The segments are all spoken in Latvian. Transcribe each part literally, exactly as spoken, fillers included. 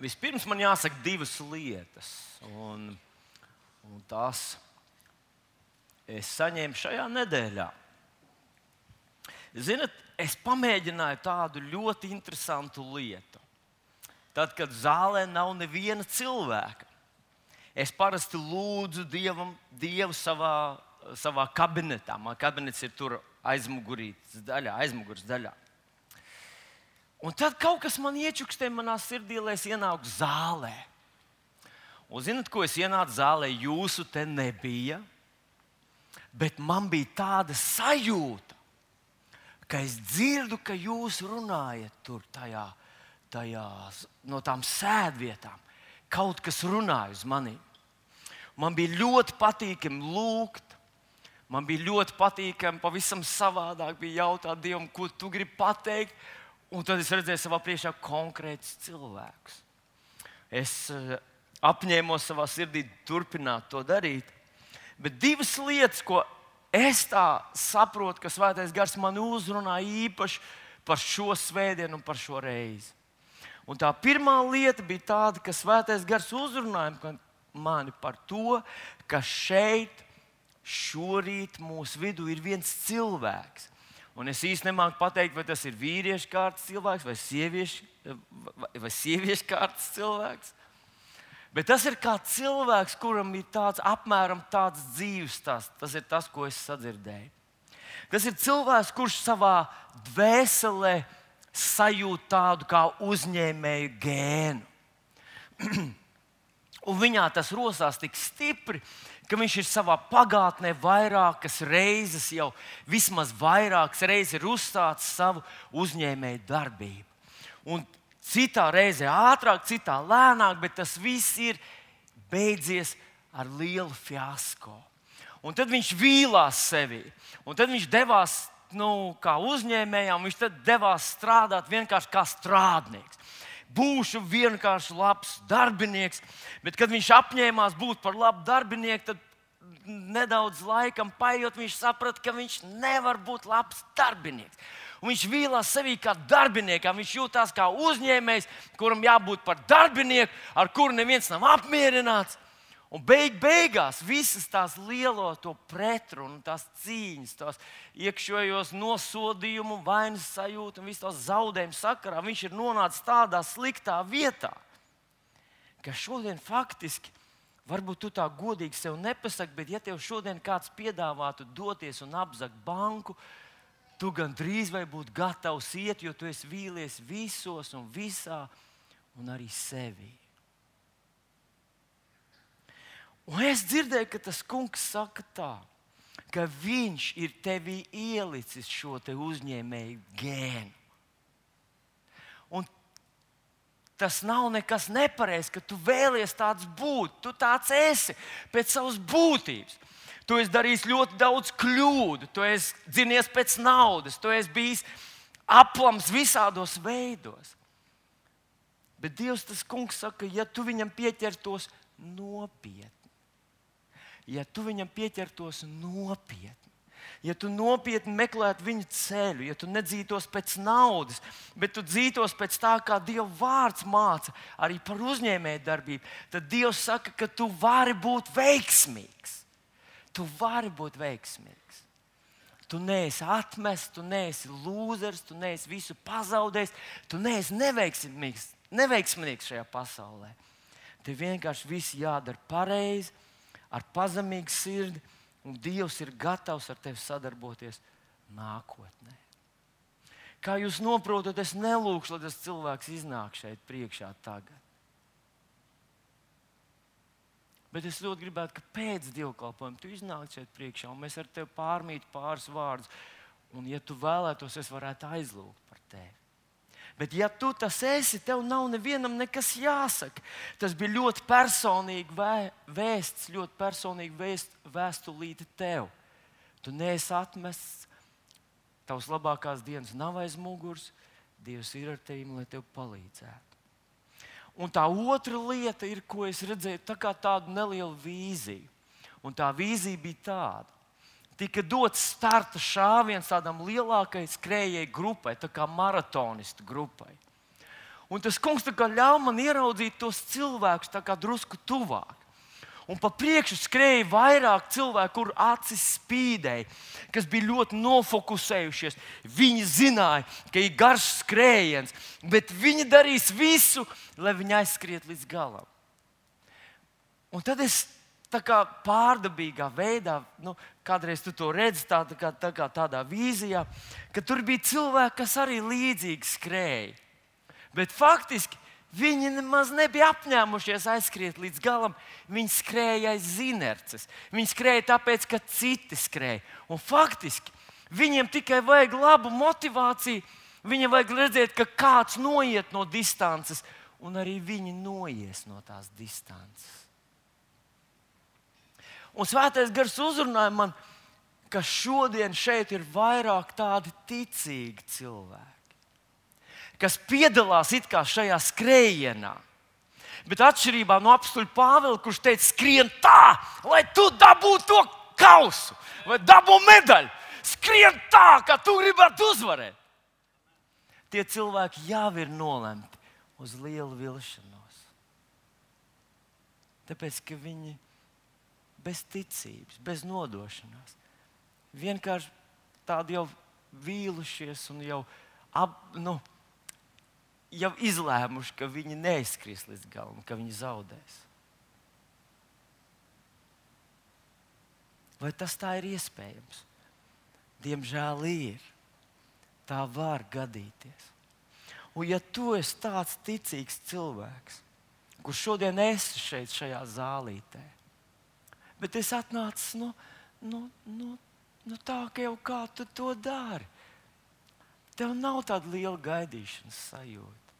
Vispirms man jāsaka divas lietas, un, un tās es saņēmu šajā nedēļā. Ziniet, es pamēģināju tādu ļoti interesantu lietu. Tad, kad zālē nav neviena cilvēka, es parasti lūdzu Dievam, Dievu savā, savā kabinetā. Man kabinets ir tur aizmugurītes daļā, aizmugures daļā. Un tad kaut kas man iečukstēja manā sirdī, lai es ienāku zālē. Un zināt, ko es ienācu zālē? Jūsu te nebija, bet man bija tāda sajūta, ka es dzirdu, ka jūs runājat tur tajā, tajā no tām sēdvietām. Kaut kas runāja uz mani. Man bija ļoti patīkami lūgt. Man bija ļoti patīkami, pavisam savādāk bija jautāt Dievam, ko tu gribi pateikt. Un tad es redzēju savā priekšā konkrētus cilvēkus. Es uh, apņēmos savā sirdī turpināt to darīt. Bet divas lietas, ko es tā saprotu, ka Svētais Gars mani uzrunā īpaši par šo svētdienu un par šo reizi. Un tā pirmā lieta bija tāda, ka Svētais Gars uzrunāja mani par to, ka šeit šorīt mūsu vidū ir viens cilvēks. Un es īsti nemāku pateikt, vai tas ir vīriešu kārtas cilvēks vai sieviešu, vai sieviešu kārtas cilvēks. Bet tas ir kā cilvēks, kuram ir tāds, apmēram tāds dzīves stāsts. Tas ir tas, ko es sadzirdēju. Tas ir cilvēks, kurš savā dvēselē sajūt tādu kā uzņēmēju gēnu. Un viņā tas rosās tik stipri, ka viņš ir savā pagātnē vairākas reizes, jau vismaz vairākas reizes ir uzsācis savu uzņēmēju darbību. Un citā reizē ātrāk, citā lēnāk, bet tas viss ir beidzies ar lielu fiasko. Un tad viņš vīlās sevī, un tad viņš devās nu, kā uzņēmējām, viņš tad devās strādāt vienkārši kā strādnieks. Būšu vienkārši labs darbinieks, bet kad viņš apņēmās būt par labu darbinieku, tad nedaudz laikam paiet, viņš saprata, ka viņš nevar būt labs darbinieks. Un viņš vīlās sevī kā darbiniekam, viņš jūtās kā uzņēmējs, kuram jābūt par darbinieku, ar kuru neviens nav apmierināts. Un beig, beigās visas tās lielo to pretrunu, tās cīņas, tās iekšējos nosodījumu, vainas sajūtu un visu tās zaudējumu sakarā, viņš ir nonācis tādā sliktā vietā, ka šodien faktiski, varbūt tu tā godīgi sev nepasaki, bet ja tev šodien kāds piedāvātu doties un apzagt banku, tu gan drīz vai būtu gatavs iet, jo tu esi vīlies visos un visā un arī sevī. Un es dzirdēju, ka tas kungs saka tā, ka viņš ir tevī ielicis šo te uzņēmēju gēnu. Un tas nav nekas nepareizs, ka tu vēlies tāds būt. Tu tāds esi pēc savas būtības. Tu esi darījis ļoti daudz kļūdu, tu esi dzinies pēc naudas, tu esi bijis aplams visādos veidos. Bet Dievs, tas kungs saka, ja tu viņam pieķertos nopietni, ja tu viņam pieķertos nopietni, ja tu nopietni meklētu viņa ceļu, ja tu nedzītos pēc naudas, bet tu dzītos pēc tā, kā Dieva vārds māca arī par uzņēmēju darbību, tad Dievs saka, ka tu vari būt veiksmīgs. Tu vari būt veiksmīgs. Tu neesi atmests, tu neesi lūzers, tu neesi visu pazaudējis, tu neesi neveiksmīgs, neveiksmīgs šajā pasaulē. Tev vienkārši viss jādara pareizi, ar pazemīgu sirdi, un Dievs ir gatavs ar tevi sadarboties nākotnē. Kā jūs noprotat, es nelūkšu, lai tas cilvēks iznāk šeit priekšā tagad. Bet es ļoti gribētu, ka pēc dievkalpojuma tu iznāk šeit priekšā, un mēs ar tevi pārmītu pāris vārdus, un ja tu vēlētos, es varētu aizlūgt par tevi. Bet ja tu tas esi, tev nav nevienam nekas jāsaka. Tas bija ļoti personīgi vēsts, ļoti personīgi vēst, vēstulīte tev. Tu neesi atmests, tavs labākās dienas nav aiz muguras, Dievs ir ar tevi, lai tev palīdzētu. Un tā otra lieta ir, ko es redzēju, tā kā tādu nelielu vīziju. Un tā vīzija bija tāda. Tika dots starta šāviens tādam lielākai skrējēju grupai, tā kā maratonistu grupai. Un tas kungs tā kā ļauj man ieraudzīt tos cilvēkus tā kā drusku tuvāk. Un pa priekšu skrēja vairāk cilvēku, kur acis spīdēja, kas bija ļoti nofokusējušies. Viņi zināja, ka ir garš skrējiens, bet viņi darīs visu, lai viņi aizskriet līdz galam. Un tad es tā kā pārdabīgā veidā, nu, kādreiz tu to redzi tā, tā kā, tā kā tādā vīzijā, ka tur bija cilvēki, kas arī līdzīgi skrēja. Bet faktiski viņi nemaz nebija apņēmušies aizskriet līdz galam. Viņi skrēja aiz inerces. Viņi skrēja tāpēc, ka citi skrēja. Un faktiski viņiem tikai vajag labu motivāciju. Viņiem vajag redzēt, ka kāds noiet no distances, un arī viņi noies no tās distances. Un Svētais Gars uzrunāja man, ka šodien šeit ir vairāk tādi ticīgi cilvēki, kas piedalās it kā šajā skrējienā. Bet atšķirībā no apstuļa Pāvila, kurš teica, skrien tā, lai tu dabūtu to kausu vai dabūtu medaļu. Skrien tā, kā tu gribētu uzvarēt. Tie cilvēki jau ir nolemti uz lielu vilšanos. Tāpēc, ka viņi bez ticības, bez nodošanās, vienkārši tādi jau vīlušies un jau ap, nu, jau izlēmuši, ka viņi neizskries līdz galam, ka viņi zaudēs. Vai tas tā ir iespējams? Diemžēl ir. Tā var gadīties. Un ja tu esi tāds ticīgs cilvēks, kurš šodien esi šeit šajā zālītē, bet es atnācu no, no, no, no tā, ka jau kā tu to dari. Tev nav tāda liela gaidīšanas sajūta.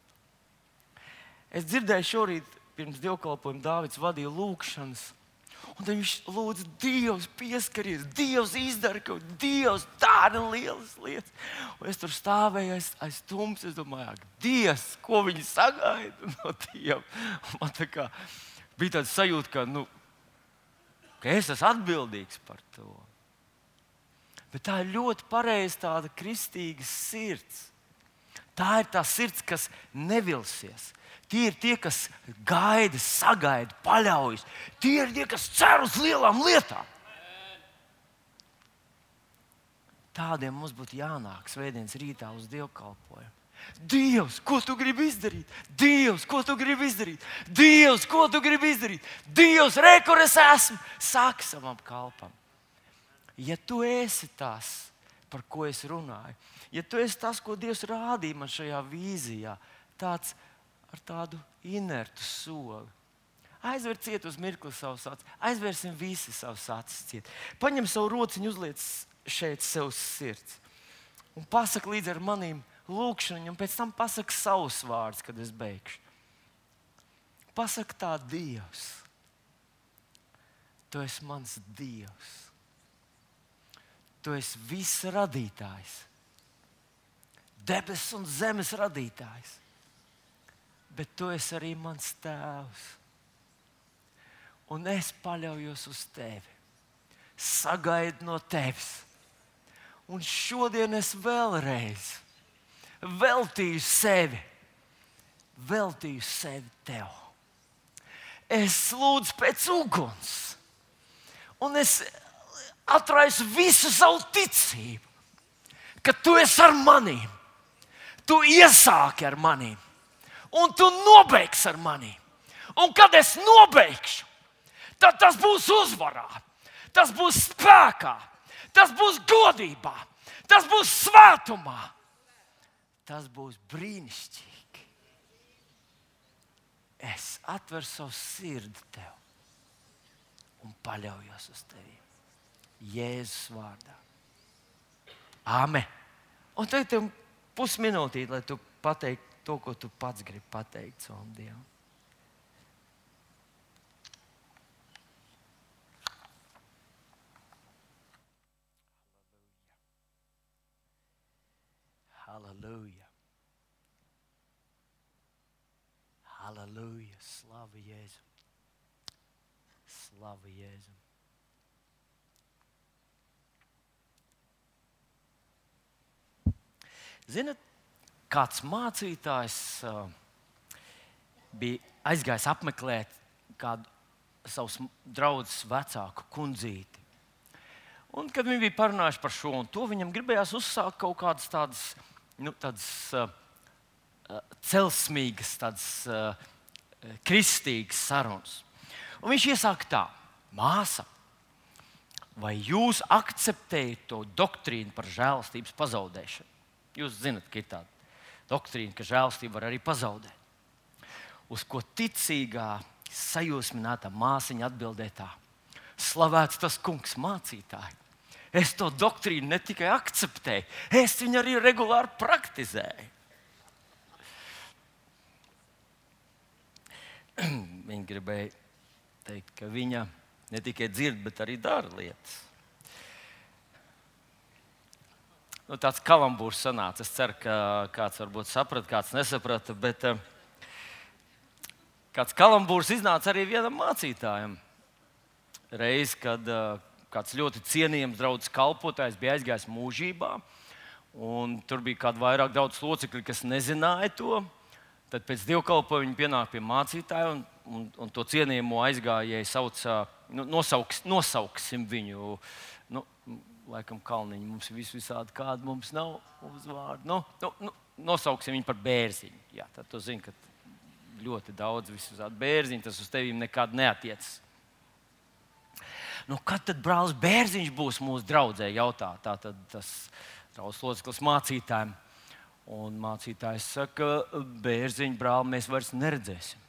Es dzirdēju šorīt, pirms dievkalpojuma Dāvids vadīja lūkšanas, un tad viņš lūdza, Dievs pieskaries, Dievs izdara kaut ko, Dievs dara lielas lietas. Un es tur stāvēju aiz, aiz tums, es domāju, ak, Dievs, ko viņi sagaida no Dieva. Man tā kā bija tāda sajūta, ka, nu, ka es esmu atbildīgs par to. Bet tā ir ļoti pareiza tāda kristīga sirds. Tā ir tā sirds, kas nevilsies. Tie ir tie, kas gaida, sagaida, paļaujas. Tie ir tie, kas cer uz lielām lietām. Tādiem mums būtu jānāk svētdienas rītā uz dievkalpojumu. Dievs, ko tu gribi izdarīt? Dievs, ko tu gribi izdarīt? Dievs, ko tu gribi izdarīt? Dievs, re, kur es esmu? Saki savam kalpam. Ja tu esi tas, par ko es runāju, ja tu esi tas, ko Dievs rādīja man šajā vīzijā, tāds ar tādu inertu soli. Aizver ciet uz mirkli savus acis. Aizversim visi savus acis ciet. Paņem savu rociņu, uzliec šeit sev uz sirds. Un pasaka līdz ar manīm lūkšanu, un pēc tam pasaka savus vārdus, kad es beigšu. Pasaka tā, Dievs. Tu esi mans Dievs. Tu esi viss radītājs. Debesis un zemes radītājs. Bet tu esi arī mans tēvs. Un es paļaujos uz tevi. Sagaidu no tevis. Un šodien es vēlreiz veltīju sevi. Veltīju sevi tev. Es lūdzu pēc uguns. Un es atraisu visu savu ticību, ka tu esi ar manīm. Tu iesāki ar manīm. Un tu nobeigsi ar manīm. Un kad es nobeigšu, tad tas būs uzvarā. Tas būs spēkā. Tas būs godībā. Tas būs svētumā. Tas būs brīnišķīgi. Es atveru savu sirdi tev un paļaujos uz tevi. Jēzus vārdā. Āmen. Un tagad tev pusminūtīt, lai tu pateiktu to, ko tu pats gribi pateikt savam Dievam. Halleluja. Halleluja. Slava Jēzum. Slava Jēzum. Zinat, kāds mācītājs uh, bija aizgājis apmeklēt kādu savus draugus vecāku kundzīti. Un, kad viņi bija parunājuši par šo un to, viņam gribējās uzsākt kaut kādas tādas, nu, tādas uh, celsmīgas, tādas uh, kristīgas sarunas. Un viņš iesāka tā: māsa, vai jūs akceptējat to doktrīnu par žēlastības pazaudēšanu? Jūs zināt, ka ir tāda doktrīna, ka žēlastība var arī pazaudēt. Uz ko ticīgā, sajūsminātā māsiņa atbildēja tā: slavēts tas kungs, mācītāji. Es to doktrīnu ne tikai akceptēju, es viņu arī regulāri praktizēju. Viņa gribēja teikt, ka viņa ne tikai dzird, bet arī dara lietas. Nu, tāds kalambūrs sanāca. Es ceru, ka kāds varbūt saprata, kāds nesaprata, bet uh, kāds kalambūrs iznāca arī vienam mācītājam. Reiz, kad uh, kāds ļoti cienījams draugs kalpotājs bija aizgājis mūžībā, un tur bija kādi vairāk daudz locekļi, kas nezināja to. Tad pēc dievkalpojuma viņi pienāk pie mācītāja, un, un, un to cienījamo aizgājēju sauca, nu, nosauks, nosauksim viņu, nu, laikam Kalniņu, mums ir vis visādi, kādi mums nav uzvārdi. Nu, nu, nu, nosauksim viņu par Bērziņu. Jā, tad tu zini, ka ļoti daudz visādi Bērziņu, tas uz tevīm nekad neatiecas. Nu, kad tad brālis Bērziņš būs mūsu draudzē, jautā tātad tas draugs loceklis mācītājiem. Un mācītājs saka: Bērziņu brāli mēs vairs neredzēsim.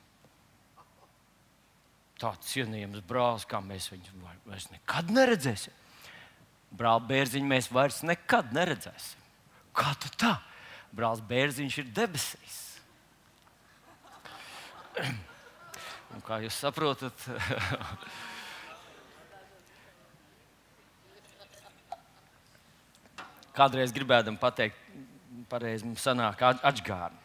Tāds cienījams brālis, kā mēs viņu vairs nekad neredzēsim. Brāli Bērziņu mēs vairs nekad neredzēsim. Kā tu tā? Brālis Bērziņš ir debesīs. Un kā jūs saprotat, kādreiz gribēdam pateikt, pareizi mums sanāk atžgārni.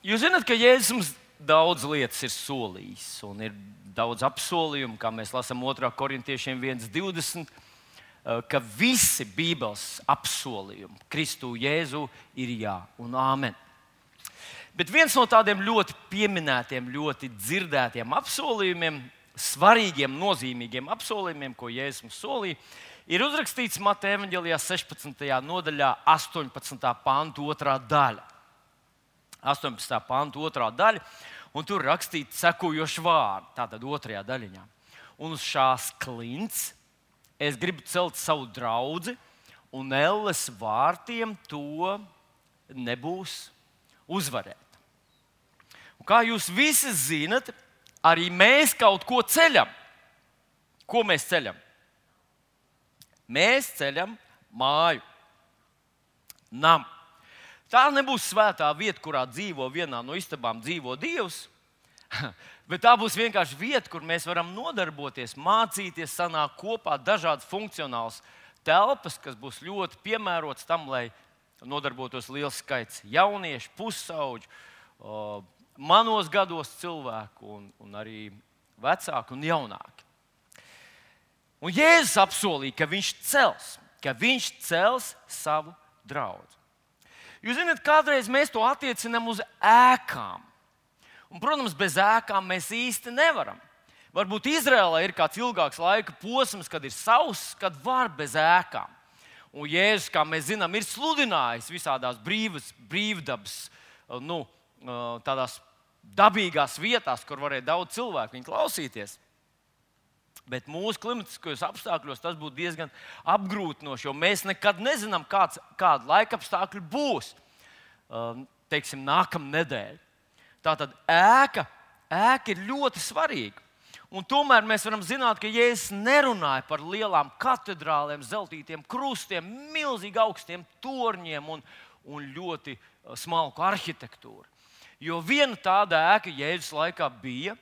Jūs zināt, ka Jēzus mums daudz lietas ir solījis, un ir daudz apsolījumu, kā mēs lasām otrā korintiešiem viens divdesmit, ka visi Bībeles apsolījumi Kristu Jēzu ir jā un āmen. Bet viens no tādiem ļoti pieminētiem, ļoti dzirdētiem apsolījumiem, svarīgiem, nozīmīgiem apsolījumiem, ko Jēzus mums solīja, ir uzrakstīts Mateja evaņģēlijā sešpadsmitajā nodaļā, astoņpadsmitā panta otrā daļa. astoņpadsmitā panta otrā daļa, un tur rakstīts sekojoši vārdi, tātad otrajā daļiņā. Un uz šās klints es gribu celt savu draudzi, un elles vārtiem to nebūs uzvarēt. Un kā jūs visi zinat, arī mēs kaut ko ceļam. Ko mēs ceļam? Mēs ceļam māju, namu. Tā nebūs svētā vieta, kurā dzīvo vienā no istabām dzīvo Dievs, bet tā būs vienkārši vieta, kur mēs varam nodarboties, mācīties, sanākt kopā dažādas funkcionālas telpas, kas būs ļoti piemērotas tam, lai nodarbotos liels skaits jauniešu, pusauģu, manos gados cilvēku un, un arī vecāku un jaunāku. Un Jēzus apsolīja, ka viņš cels, ka viņš cels savu draudzi. Jūs zināt, kādreiz mēs to attiecinām uz ēkām. Un, protams, bez ēkām mēs īsti nevaram. Varbūt Izrēlē ir kāds ilgāks laika posms, kad ir sauss, kad var bez ēkām. Un Jēzus, kā mēs zinām, ir sludinājis visādās brīvas, brīvdabas, nu, tādās dabīgās vietās, kur varēja daudz cilvēku viņu klausīties. Bet mūsu klimatiskajos apstākļos tas būtu diezgan apgrūtinoši, jo mēs nekad nezinām, kāds, kāda laika apstākļi būs, teiksim, nākamā nedēļa. Tātad ēka, ēka ir ļoti svarīga. Un tomēr mēs varam zināt, ka Jēzus nerunāja par lielām katedrālēm, zeltītiem krustiem, milzīgi augstiem torņiem un, un ļoti smalku arhitektūru. Jo viena tāda ēka Jēzus laikā bija.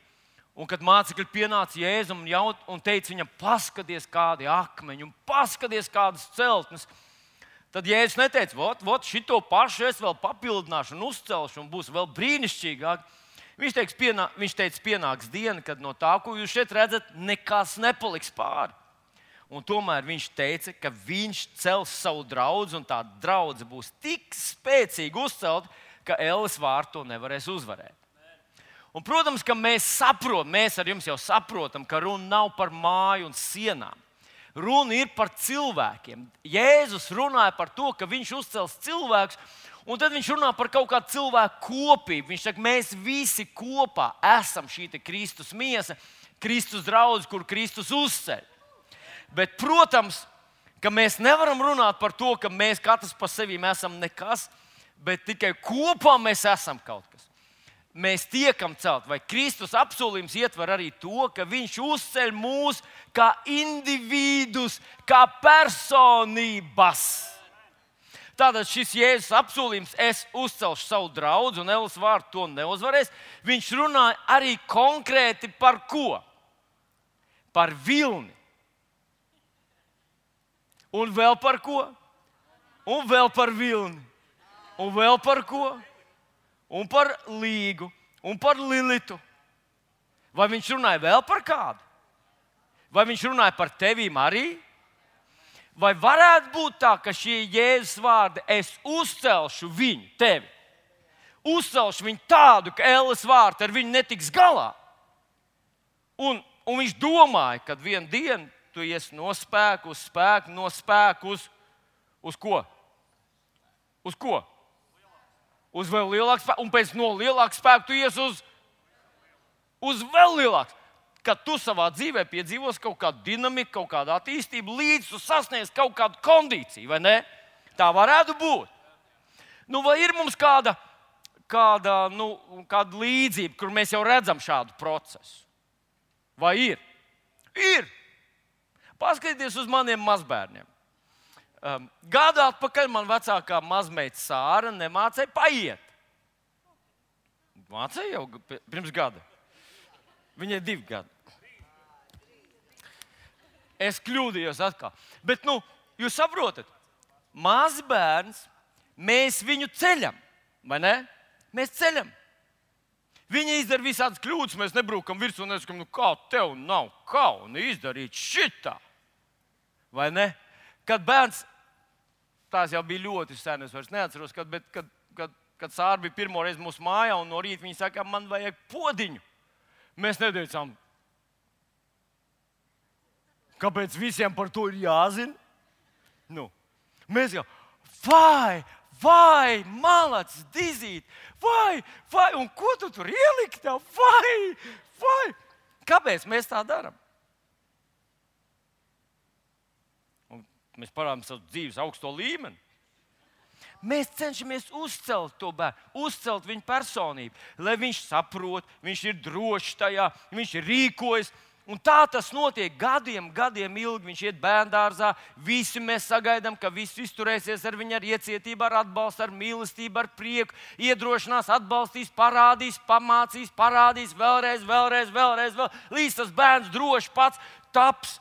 Un, kad mācekļi pienāca Jēzum un, un teica viņam, paskaties, kādi akmeņi un paskaties, kādas celtnes, tad Jēzus neteica, vot, vot šito pašu es vēl papildināšu un uzcelšu un būs vēl brīnišķīgāk. Viņš teica, pienā, viņš teica, pienāks diena, kad no tā, ko jūs šeit redzat, nekas nepaliks pāri. Un tomēr viņš teica, ka viņš cels savu draudzi un tā draudze būs tik spēcīgi uzcelta, ka elles vārti to nevarēs uzvarēt. Un, protams, ka mēs saprotam, mēs ar jums jau saprotam, ka runa nav par māju un sienām. Runa ir par cilvēkiem. Jēzus runāja par to, ka viņš uzcels cilvēkus, un tad viņš runā par kaut kādu cilvēku kopību. Viņš saka, mēs visi kopā esam šī Kristus miesa, Kristus draugs, kur Kristus uzceļ. Bet, protams, ka mēs nevaram runāt par to, ka mēs katrs par sevi esam nekas, bet tikai kopā mēs esam kaut kas. Mēs tiekam celt, vai Kristus apsolījums ietver arī to, ka viņš uzceļ mūs kā individus, kā personības. Tātad šis Jēzus apsolījums, es uzcelšu savu draugu, un elles vārdu to neuzvarēs. Viņš runāja arī konkrēti par ko? Par vilni. Un vēl par ko? Un vēl par vilni. Un vēl par ko? Un par līgu, un par Lilitu. Vai viņš runāja vēl par kādu? Vai viņš runāja par tevīm arī? Vai varētu būt tā, ka šie Jēzus vārdi, es uzcelšu viņu, tevi, uzcelšu viņu tādu, ka elles vārti ar viņu netiks galā? Un, un viņš domāja, ka vienu dienu tu iesi no spēka uz spēku, no spēka uz, uz ko? Uz ko? Uz vēl lielāku spēku, un pēc no lielāka spēka tu ies uz, uz vēl lielāku. Kad tu savā dzīvē piedzīvos kaut kādu dinamiku, kaut kādu attīstību, līdz tu sasniedz kaut kādu kondīciju, vai ne? Tā varētu būt. Nu, vai ir mums kāda, kāda, nu, kāda līdzība, kur mēs jau redzam šādu procesu? Vai ir? Ir. Paskatieties uz maniem mazbērniem. Um, Gadu atpakaļ man vecākā mazmeita Sāra nemācēja paiet. Mācēja jau pirms gada. Viņai divi gadi. Es kļūdījos atkal. Bet, nu, jūs saprotat, mazbērns, mēs viņu ceļam, vai ne? Mēs ceļam. Viņi izdara visādas kļūdas, mēs nebrūkam virsū un nesakam, nu kā tev nav kauna izdarīt šitā, vai ne? Kad bērns, tās jau bija ļoti sen, es vairs neatceros, kad, bet, kad, kad, kad Sāra bija pirmo reizi mūsu mājā un no rīta viņa saka, man vajag podiņu. Mēs neteicām, kāpēc visiem par to ir jāzina? Nu, mēs jau, vai, vai, malac, dizīt, vai, vai, un ko tu tur ielikt tev, vai, vai. Kāpēc mēs tā darām? Mēs parādām savu dzīves augsto līmeni. Mēs cenšamies uzcelt to bērnu, uzcelt viņa personību, lai viņš saprot, viņš ir drošs tajā, viņš rīkojas. Un tā tas notiek gadiem, gadiem ilgi. Viņš iet bērndārzā, visi mēs sagaidām, ka visi izturēsies ar viņu ar iecietību, ar atbalstu, ar mīlestību, ar prieku, iedrošinās, atbalstīs, parādīs, pamācīs, parādīs vēlreiz, vēlreiz, vēlreiz, vēl, līdz tas bērns droši pats taps.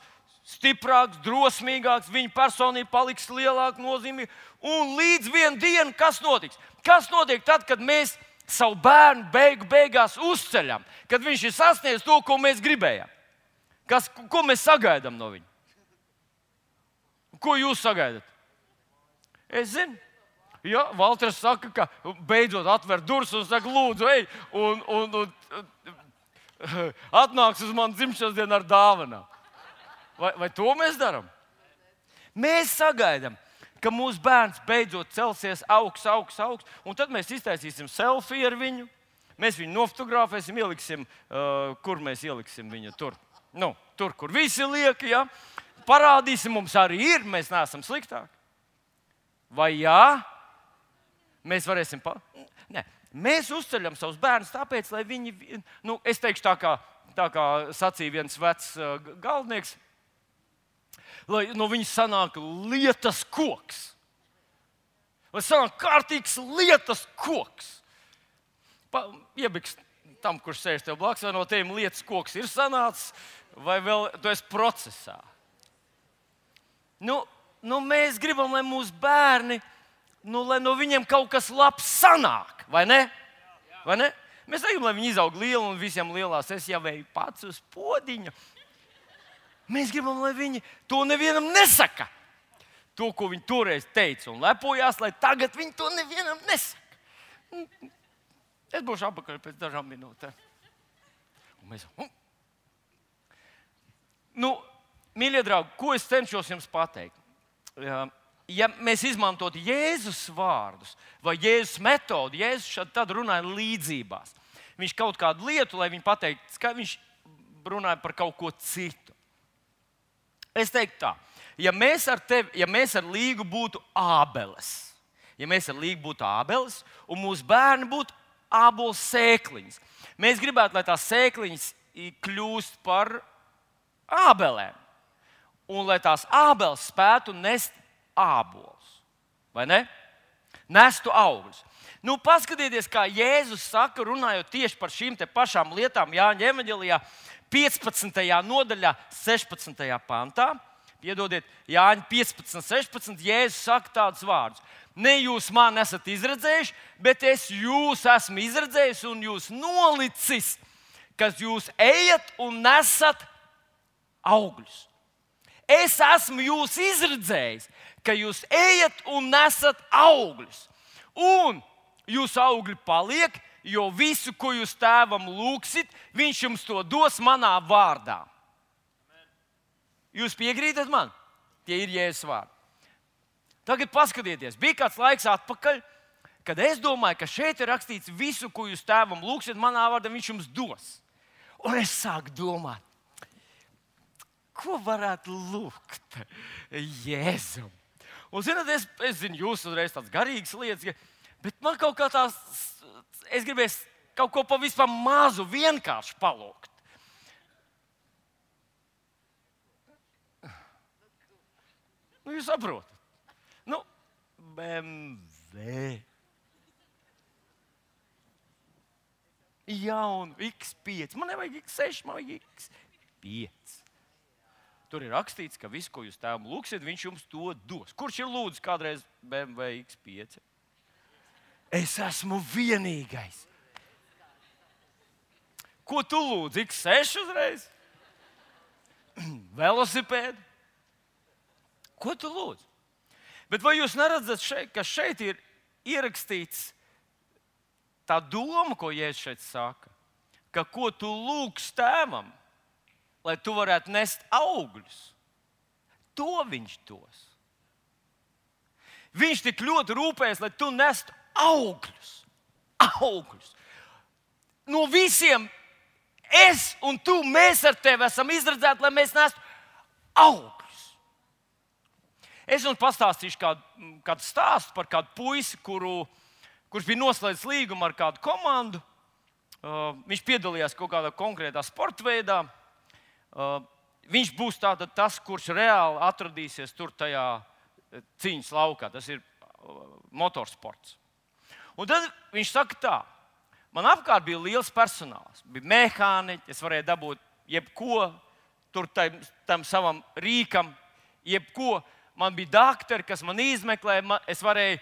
Stiprāks, drosmīgāks, viņa personība paliks lielāka, nozīmīga. Un līdz vienai dienai, kas notiks? Kas notiek tad, kad mēs savu bērnu beigu beigās uzceļam? Kad viņš ir sasniedzis to, ko mēs gribējām? Kas, ko mēs sagaidām no viņa? Ko jūs sagaidat? Es zinu. Ja, Valters saka, ka beidzot atver durvis un saka, lūdzu, ej, un, un, un atnāks uz manu dzimšanas dienu ar dāvanām. Vai, vai to mēs darām? Mēs sagaidām, ka mūsu bērns beidzot celsies augsts, augsts, augsts, un tad mēs iztaisīsim selfiju ar viņu. Mēs viņu nofotografēsim, ieliksim, uh, kur mēs ieliksim viņu tur. Nu, tur, kur visi liek, ja? Parādīsim, mums arī ir, mēs neesam sliktāki. Vai jā? Mēs varēsim... Pa... Nē, mēs uzceļam savus bērnus tāpēc, lai viņi... Nu, es teikšu tā kā, tā kā sacīja viens vecs uh, galdnieks, lai no viņas sanāk lietas koks. Lai sanāk kārtīgs lietas koks. Pa, iebiks tam, kurš sēž tev blakus, vai no tiem lietas koks ir sanācis, vai vēl tu esi procesā. Nu, nu mēs gribam, lai mūsu bērni, nu, lai no viņiem kaut kas labs sanāk, vai ne? Vai ne? Mēs negribam, lai viņi izaug lieli un visiem lielās, es jau eju pats uz podiņu. Mēs gribam, lai viņi to nevienam nesaka. To, ko viņi toreiz teica un lepojās, lai tagad viņi to nevienam nesaka. Es būšu apakaļ pēc dažām minūtēm. Un mēs, hm. Nu, mīļie draugi, ko es cenšos jums pateikt? Ja mēs izmantotu Jēzus vārdus vai Jēzus metodi, Jēzus šad tad runāja līdzībās. Viņš kaut kādu lietu, lai viņi pateiktu, ka viņš runāja par kaut ko citu. Es teiktu tā, ja mēs ar tevi, ja mēs ar Līgu būtu ābeles, ja mēs ar Līgu būtu ābeles un mūsu bērni būtu ābolu sēkliņas, mēs gribētu, lai tās sēkliņas kļūst par ābelēm un lai tās ābeles spētu nest ābolus, vai ne? Nestu augļus. Nu, paskatieties, kā Jēzus saka, runājot tieši par šīm te pašām lietām Jāņa evaņģelijā, piecpadsmitajā nodaļā, sešpadsmitajā pantā. Piedodiet, Jāņa piecpadsmit, sešpadsmit, Jēzus saka tādus vārdus. Ne jūs mani esat izredzējuši, bet es jūs esmu izredzējis un jūs nolicis, kas jūs ejat un nesat augļus. Es esmu jūs izredzējis, ka jūs ejat un nesat augļus. Un jūsu augļi paliek, jo visu, ko jūs tēvam lūgsit, viņš jums to dos manā vārdā. Jūs piekrītat man? Tie ir Jēzus vārdi. Tagad paskatieties, bija kāds laiks atpakaļ, kad es domāju, ka šeit ir rakstīts visu, ko jūs tēvam lūgsit manā vārdā, viņš jums dos. Un es sāku domāt, ko varētu lūgt Jēzum? Un, zināt, es, es zinu, jūs uzreiz tādas garīgas lietas, bet man kaut kā tās, es gribēju kaut ko pavisam mazu vienkārši palūgt. Nu, jūs saprotat. Nu, B M W. Jaunu X pieci. Man nevajag X seši, man vajag X pieci. Tur ir rakstīts, ka visu, ko jūs tēvam lūgsiet, viņš jums to dos. Kurš ir lūdzis kādreiz B M W X pieci? Es esmu vienīgais. Ko tu lūdzi? X seši uzreiz? Velosipēdu? Ko tu lūdzi? Bet vai jūs neredzat, šeit, ka šeit ir ierakstīts tā doma, ko Jēzus šeit saka? Ka ko tu lūgsi tēvam, lai tu varētu nest augļus, to viņš dos. Viņš tik ļoti rūpējas, lai tu nestu augļus. Augļus. No visiem es un tu, mēs ar tevi esam izredzēti, lai mēs nestu augļus. Es jums pastāstīšu kādu, kādu stāstu par kādu puisi, kuru, kurš bija noslēdzis līgumu ar kādu komandu. Uh, viņš piedalījās kaut kādā konkrētā sporta veidā. Uh, viņš būs tātad tas, kurš reāli atradīsies tur tajā cīņas laukā. Tas ir uh, motorsports. Un tad viņš saka tā, man apkārt bija liels personāls. Bija mehāniķi, es varēju dabūt jebko tur tam, tam savam rīkam, jebko. Man bija doktori, kas man izmeklēja, man, es varēju,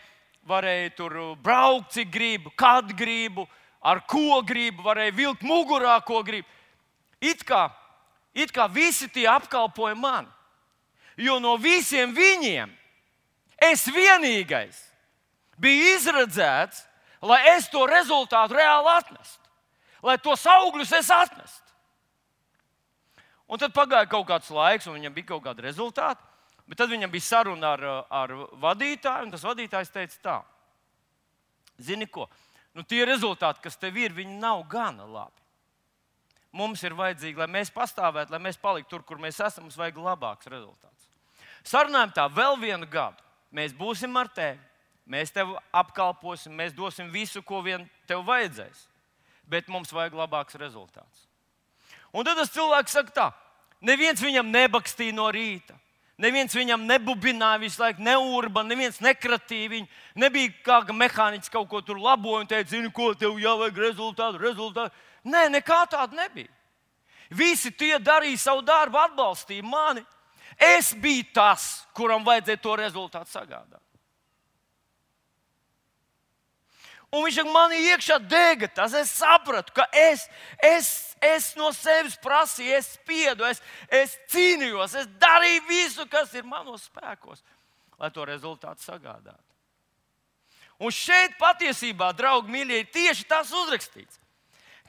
varēju tur braukt, cik gribu, kad gribu, ar ko gribu, varēju vilkt mugurā, ko gribu. It kā It kā visi tie apkalpoja mani. Jo no visiem viņiem es vienīgais biju izredzēts, lai es to rezultātu reāli atnestu. Lai tos augļus es atnestu. Un tad pagāja kaut kāds laiks, un viņam bija kaut kādi rezultāti. Bet tad viņam bija saruna ar, ar vadītāju, un tas vadītājs teica tā. Zini ko? Nu, tie rezultāti, kas tev ir, viņi nav gana labi. Mums ir vajadzīgi, lai mēs pastāvētu, lai mēs paliktu tur, kur mēs esam, mums vajag labāks rezultāts. Sarunājam tā, vēl vienu gadu. Mēs būsim ar tevi, mēs tevi apkalposim, mēs dosim visu, ko vien tev vajadzēs. Bet mums vajag labāks rezultāts. Un tad tas cilvēks saka tā, neviens viņam nebakstīja no rīta. Neviens viņam nebubināja visu laiku, neurba, neviens nekratīja viņu. Nebija kā mehāniķis kaut ko tur laboja un teica, zini, ko tev jāvajag rezultātu, rezultātu. Nē, nekā tāda nebija. Visi tie darīja savu darbu, atbalstīja mani. Es biju tas, kuram vajadzēja to rezultātu sagādāt. Un viņš man iekšā dega tas. Es sapratu, ka es, es, es no sevis prasīju, es spiedu, es, es cīnījos, es darīju visu, kas ir manos spēkos, lai to rezultātu sagādātu. Un šeit patiesībā, draugi mīļie, ir tieši tas uzrakstīts,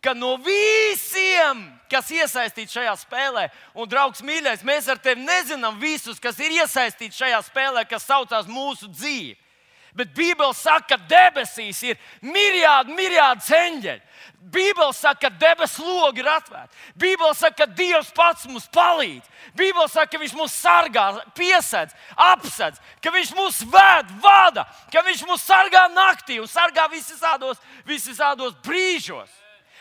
ka no visiem, kas iesaistīti šajā spēlē, un, draugs mīļais, mēs ar tevi nezinām visus, kas ir iesaistīti šajā spēlē, kas saucās mūsu dzīve. Bet Bībele saka, ka debesīs ir miljārdi, miljārdi eņģeļi. Bībele saka, ka debesu logi ir atvērti. Bībele saka, ka Dievs pats mums palīdz. Bībele saka, ka Viņš mūs sargā, piesedz, apsedz, ka Viņš mūs ved, vada, ka Viņš mūs sargā naktī un sargā visādos, visādos brīžos.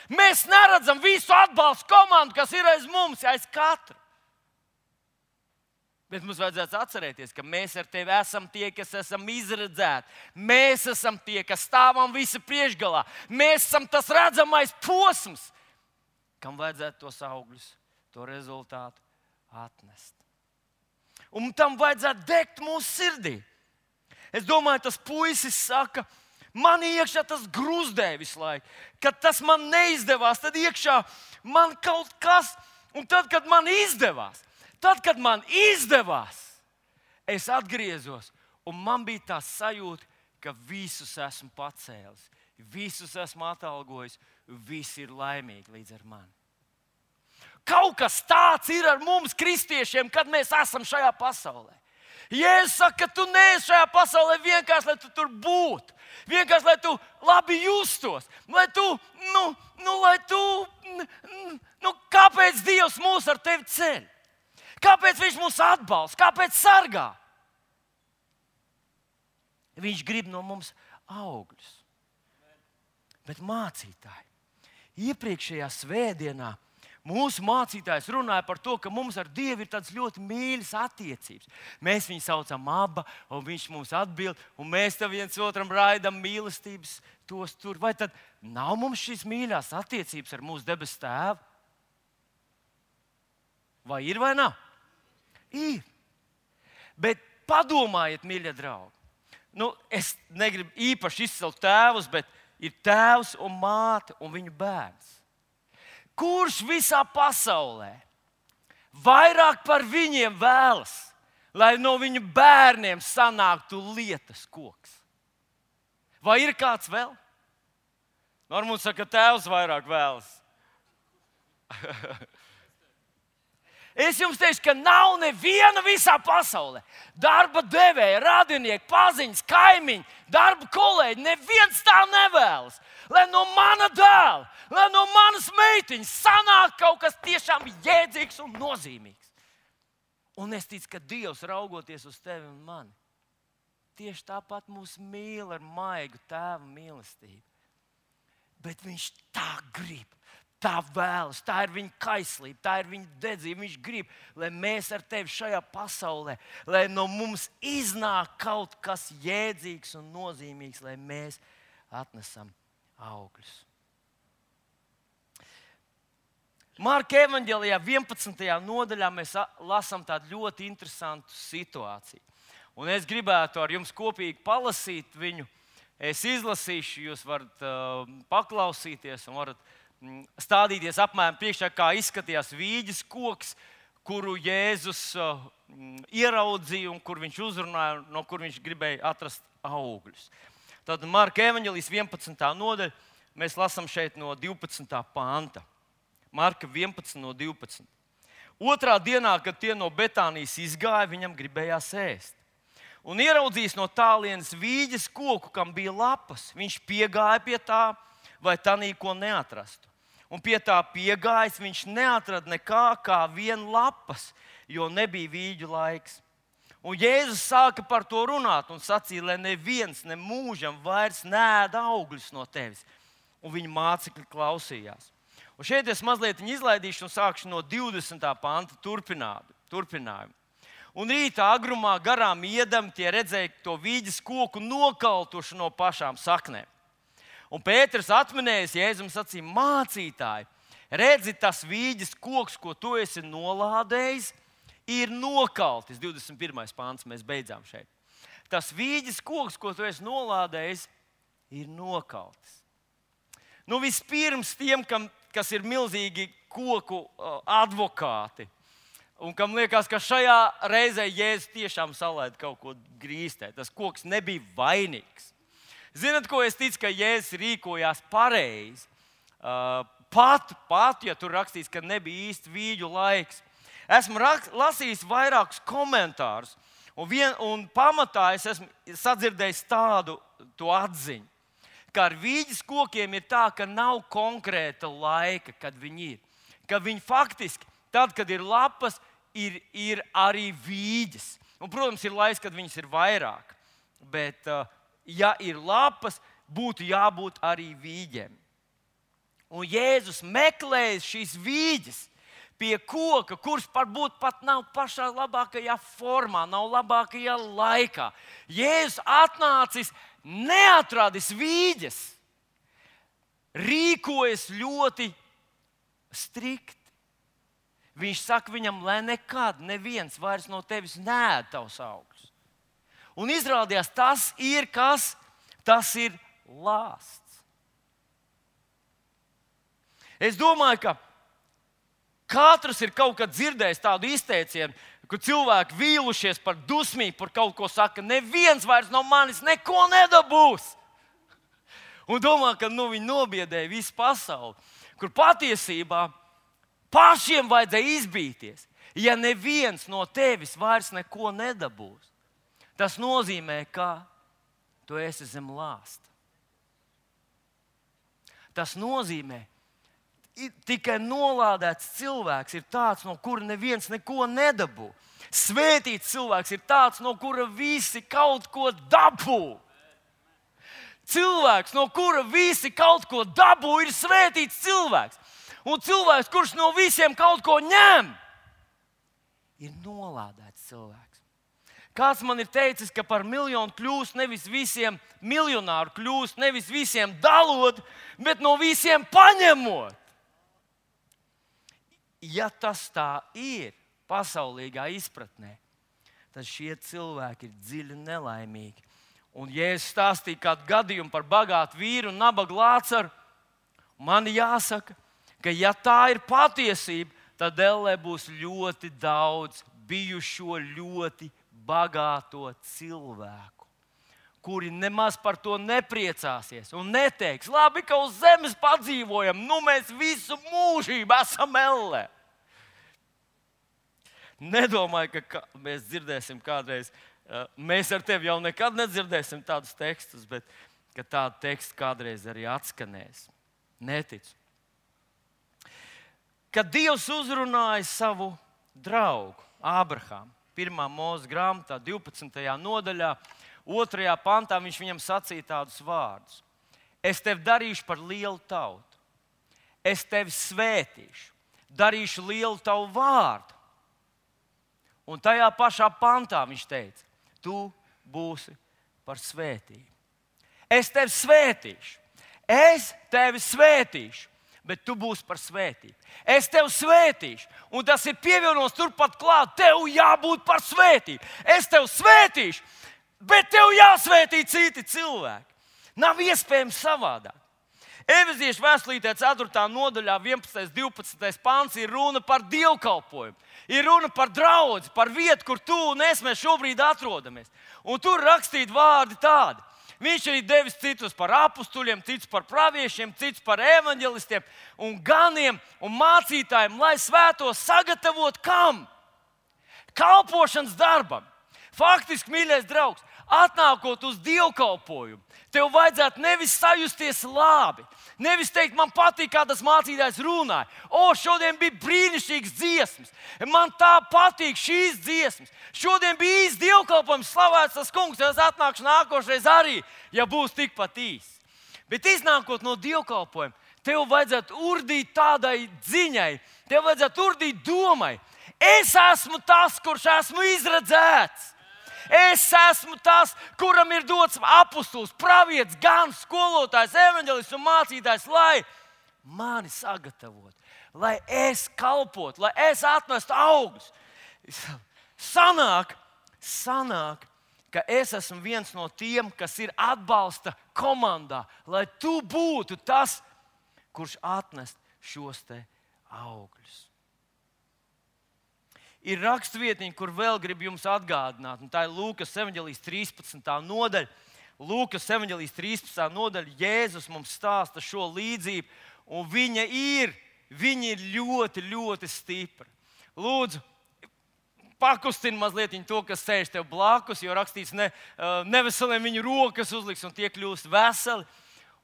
Mēs neredzam visu atbalstu komandu, kas ir aiz mums, aiz katra. Bet mums vajadzētu atcerēties, ka mēs ar tevi esam tie, kas esam izredzēti. Mēs esam tie, kas stāvam visa priekšgalā. Mēs esam tas redzamais posms, kam vajadzētu tos augļus, to rezultātu atnest. Un tam vajadzētu degt mūsu sirdī. Es domāju, tas puisis saka, man iekšā tas gruzdē visu laiku. Kad tas man neizdevās, tad iekšā man kaut kas, un tad, kad man izdevās, Tad, kad man izdevās, es atgriezos, un man bija tā sajūta, ka visus esmu pacēlis, visus esmu atalgojis, visi ir laimīgi līdz ar mani. Kaut kas tāds ir ar mums, kristiešiem, kad mēs esam šajā pasaulē. Jēzus saka, ka tu neesi šajā pasaulē vienkārši, lai tu tur būtu. Vienkārši, lai tu labi justos. Lai tu, nu, nu, lai tu, nu, kāpēc Dievs mūs ar tevi ceļ? Kāpēc Viņš mūs atbalsta? Kāpēc sargā? Viņš grib no mums augļus. Bet mācītāji, iepriekšējā svētdienā mūsu mācītājs runāja par to, ka mums ar Dievu ir tādas ļoti mīļas attiecības. Mēs viņu saucam Abba, un Viņš mums atbild, un mēs tam viens otram raidam mīlestības tos tur. Vai tad nav mums šīs mīļās attiecības ar mūsu debesu Tēvu? Vai ir vai nav? Ir. Bet padomājiet, mīļie draugi. Nu, es negribu īpaši izcelt tēvus, bet ir tēvs un māte un viņu bērns. Kurš visā pasaulē vairāk par viņiem vēlas, lai no viņu bērniem sanāktu lietas koks? Vai ir kāds vēl? Normāli saka, ka tēvs vairāk vēlas. Es jums teikšu, ka nav neviena visā pasaulē. Darba devēja, radinieki, paziņas, kaimiņi, darba kolēģi, neviens tā nevēlas. Lai no mana dēla, lai no manas meitiņas sanāk kaut kas tiešām jēdzīgs un nozīmīgs. Un es ticu, ka Dievs raugoties uz tevi un mani, tieši tāpat mūs mīl ar maigu tēva mīlestību. Bet Viņš tā grib. Tā vēlas, tā ir viņa kaislība, tā ir viņa dedzība. Viņš grib, lai mēs ar tevi šajā pasaulē, lai no mums iznāk kaut kas jēdzīgs un nozīmīgs, lai mēs atnesam augļus. Marka evaņģēlijā vienpadsmitajā nodaļā mēs lasām tādu ļoti interesantu situāciju. Un es gribētu ar jums kopīgi palasīt viņu. Es izlasīšu, jūs varat uh, paklausīties un varat stādīties apmēram priekšā, kā izskatījās vīģes koks, kuru Jēzus uh, ieraudzīja un kur viņš uzrunāja, no kur viņš gribēja atrast augļus. Tad Marka evaņģēlijas vienpadsmitā nodaļa, mēs lasām šeit no divpadsmitā panta. Marka vienpadsmit no divpadsmit. Otrā dienā, kad tie no Betānijas izgāja, viņam gribējās ēst. Un ieraudzījis no tālienes vīģes koku, kam bija lapas. Viņš piegāja pie tā, vai tanī ko neatrastu. Un pie tā piegājis, viņš neatrada nekā kā vien lapas, jo nebija vīģu laiks. Un Jēzus sāka par to runāt un sacīja, lai neviens ne mūžam vairs neēd augļus no tevis. Un viņa mācekļi klausījās. Un šeit es mazliet izlaidīšu un sākšu no divdesmitā panta turpinājumu. Un rītā agrumā garām iedami tie redzēja to vīģes koku nokaltuši no pašām saknēm. Un Pēters atminējis, Jēzum sacīja, mācītāji, redzi, tas vīģes koks, ko tu esi nolādējis, ir nokaltis. divdesmit pirmais pāns, mēs beidzām šeit. Tas vīģes koks, ko tu esi nolādējis, ir nokaltis. Nu, vispirms tiem, kam, kas ir milzīgi koku uh, advokāti, un kam liekas, ka šajā reizē Jēzus tiešām salaida kaut ko grīstē. Tas koks nebija vainīgs. Zinat, ko es ticu, ka Jēzus rīkojās pareizi? Uh, pat, pat, ja tur rakstīts, ka nebija īsti vīģu laiks. Esmu rak, lasījis vairākus komentārus, un, vien, un pamatā es esmu sadzirdējis tādu to atziņu, ka ar vīģes kokiem ir tā, ka nav konkrēta laika, kad viņi ir. Ka viņi faktiski, tad, kad ir lapas, ir, ir arī vīģes. Un, protams, ir laiks, kad viņas ir vairāk. Bet, ja ir lapas, būtu jābūt arī vīģiem. Un Jēzus meklēja šīs vīģes pie koka, kurš varbūt pat nav pašā labākajā formā, nav labākajā laikā. Jēzus atnācis, neatradis vīģes, rīkojas ļoti strikti. Viņš saka viņam, lai nekad neviens vairs no tevis neēd tavus augļus. Un izrādījās, tas ir kas? Tas ir lāsts. Es domāju, ka katrs ir kaut kad dzirdējis tādu izteicienu, ka cilvēki vīlušies par dusmību, par kaut ko saka, neviens vairs no manis neko nedabūs. Un domā, ka nu, viņi nobiedēja visu pasauli, kur patiesībā pašiem vajadzēja izbīties. Ja neviens no tevis vairs neko nedabūs, tas nozīmē, ka tu esi zem lāsta. Tas nozīmē, tikai nolādēts cilvēks ir tāds, no kura neviens neko nedabū. Svētīts cilvēks ir tāds, no kura visi kaut ko dabū. Cilvēks, no kura visi kaut ko dabū, ir svētīts cilvēks. Un cilvēks, kurš no visiem kaut ko ņem, ir nolādēts cilvēks. Kāds man ir teicis, ka par miljonu kļūst nevis visiem miljonāru kļūst, nevis visiem dalot, bet no visiem paņemot. Ja tas tā ir pasaulīgā izpratnē, tad šie cilvēki ir dziļi nelaimīgi. Un Jēzus stāstīja kādu gadījumu par bagātu vīru un nabagu Lācaru. Man jāsaka, ka ja tā ir patiesība, tad ellē būs ļoti daudz bijušo ļoti bagāto cilvēku, kuri nemaz par to nepriecāsies un neteiks, labi, ka uz zemes padzīvojam, nu mēs visu mūžību esam ellē. Nedomāju, ka mēs dzirdēsim kādreiz, mēs ar tevi jau nekad nedzirdēsim tādus tekstus, bet ka tādi teksti kādreiz arī atskanēs. Neticu. Kad Dievs uzrunāja savu draugu Ābrahāmu, pirmā Mūzes grāmatā, divpadsmitajā nodaļā, otrajā pantā, viņš viņam sacīja tādus vārdus. Es tevi darīšu par lielu tautu. Es tevi svētīšu, darīšu lielu tavu vārdu. Un tajā pašā pantā viņš teica, tu būsi par svētību. Es tevi svētīšu, es tevi svētīšu, bet tu būsi par svētību. Es tevi svētīšu, un tas ir pievienots turpat klāt, tev jābūt par svētību. Es tevi svētīšu, bet tev jāsvētī citi cilvēki. Nav iespējams savādāk. Efeziešu vēstulītē ceturtā nodaļā, vienpadsmitais, divpadsmitais pants ir runa par dievkalpojumu. Ir runa par draudzi, par vietu, kur tu un es mēs šobrīd atrodamies. Un tur rakstīti vārdi tādi. Viņš arī devis citus par apustuļiem, citus par praviešiem, citus par evaņģelistiem un ganiem un mācītājiem, lai svētos sagatavot kam? Kalpošanas darbam. Faktiski, mīļais draugs, atnākot uz dievkalpojumu, tev vajadzētu nevis sajusties labi, nevis teikt, man patīk, kā tas mācītājs runāja. O, šodien bija brīnišķīgs dziesmas, man tā patīk šīs dziesmas. Šodien bija īsts dievkalpojums, slavēts tas kungs, es atnākšu nākošreiz arī, ja būs tikpat īsts. Bet iznākot no dievkalpojuma, tev vajadzētu urdīt tādai dziņai, tev vajadzētu urdīt domai. Es esmu tas, kurš esmu izredzēts. Es esmu tas, kuram ir dots apustulis, pravietis, gans, skolotājs, evaņģelists un mācītājs, lai mani sagatavotu, lai es kalpotu, lai es atnestu augļus. Sanāk, sanāk, ka es esmu viens no tiem, kas ir atbalsta komandā, lai tu būtu tas, kurš atnest šos te augļus. Ir rakstvietiņa, kur vēl gribu jums atgādināt, un tā ir Lūkas evaņģelijas trīspadsmitā nodaļa. Lūkas evaņģēlijas trīspadsmitā nodaļa Jēzus mums stāsta šo līdzību, un viņa ir, viņa ir ļoti, ļoti stipra. Lūdzu, pakustini mazliet to, kas sēž tev blakus, jo rakstīts, ne, neveseliem viņu rokas uzliks un tie kļūst veseli.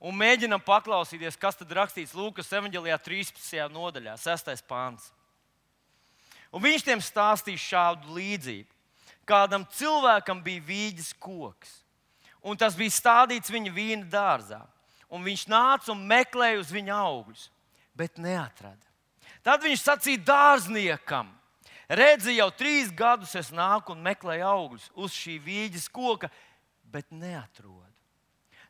Un mēģinam paklausīties, kas tad rakstīts Lūkas evaņģēlijā trīspadsmitajā nodaļā, sestais pāns. Un viņš tiem stāstīja šādu līdzību. Kādam cilvēkam bija vīģes koks, un tas bija stādīts viņa vīna dārzā. Un viņš nāca un meklēja uz viņa augļus, bet neatrada. Tad viņš sacīja dārzniekam: redzi, jau trīs gadus es nāku un meklēju augļus uz šī vīģes koka, bet neatrodu.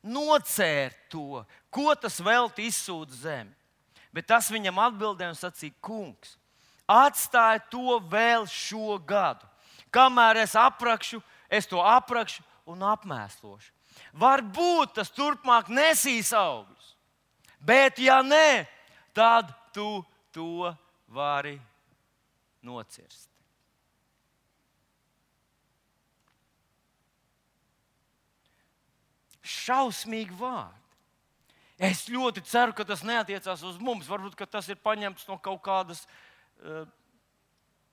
Nocēr to, ko tas velti izsūta zemi. Bet tas viņam atbildēja un sacīja: kungs, atstāj to vēl šo gadu. Kamēr es aprakšu, es to aprakšu un apmēslošu. Varbūt tas turpmāk nesīs augļus, bet ja nē, tad tu to vari nocirst. Šausmīgi vārdi. Es ļoti ceru, ka tas neatiecās uz mums. Varbūt, ka tas ir paņemts no kaut kādas,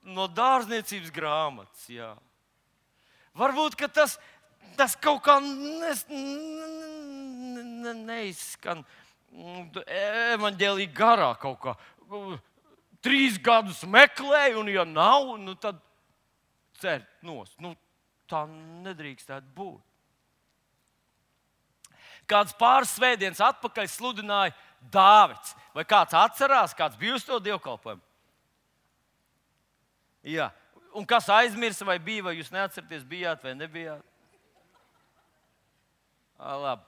no dārzniecības grāmatas. Jā. Varbūt, ka tas, tas kaut kā nes, ne, ne, neizskan evaņģēlija garā kaut kā. Trīs gadus meklēju, un ja nav, nu tad cer nost. Nu, tā nedrīkstētu būt. Kāds pāris svētdienas atpakaļ sludināja Dāvids. Vai kāds atcerās, kāds bija uz to dievkalpojumu? Jā. Un kas aizmirsa, vai bija, vai jūs neatceraties, bijāt vai nebijāt? À, labi.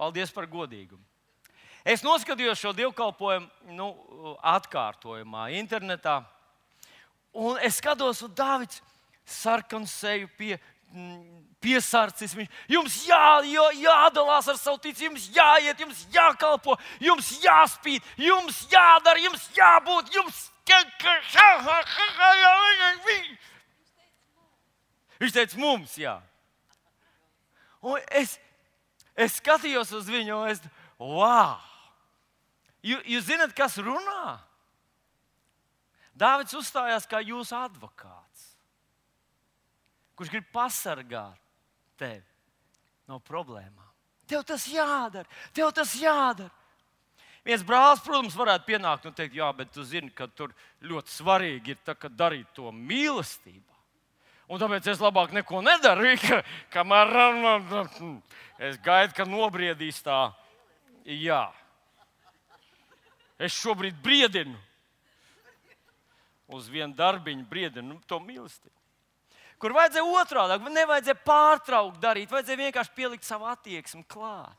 Paldies par godīgumu. Es noskatījos šo dievkalpojumu nu, atkārtojumā internetā. Un es skatos, un Dāvids sarkanu seju pie, piesarcis. Viņš, jums jā, jā, jādalās ar savu ticību, jums jāiet, jums jākalpo, jums jāspīd, jums jādara, jums jābūt, jums... Viņš teica mums, jā. Un es, es skatījos uz viņu, un es... Wow! Jūs, jūs zināt, kas runā? Dāvids uzstājās kā jūsu advokāts, kurš grib pasargāt tevi no problēmām. Tev tas jādara, tev tas jādara. Viens brālis, protams, varētu pienākt un teikt, jā, bet tu zini, ka tur ļoti svarīgi ir tā, ka darīt to mīlestībā. Un tāpēc es labāk neko nedaru, ka, kamēr es gaidu, ka nobriedīs tā. Jā. Es šobrīd briedinu. Uz vienu darbiņu briedinu nu, to mīlestību. Kur vajadzēja otrādi, nevajadzēja pārtraukt darīt, vajadzēja vienkārši pielikt savu attieksmi klāt.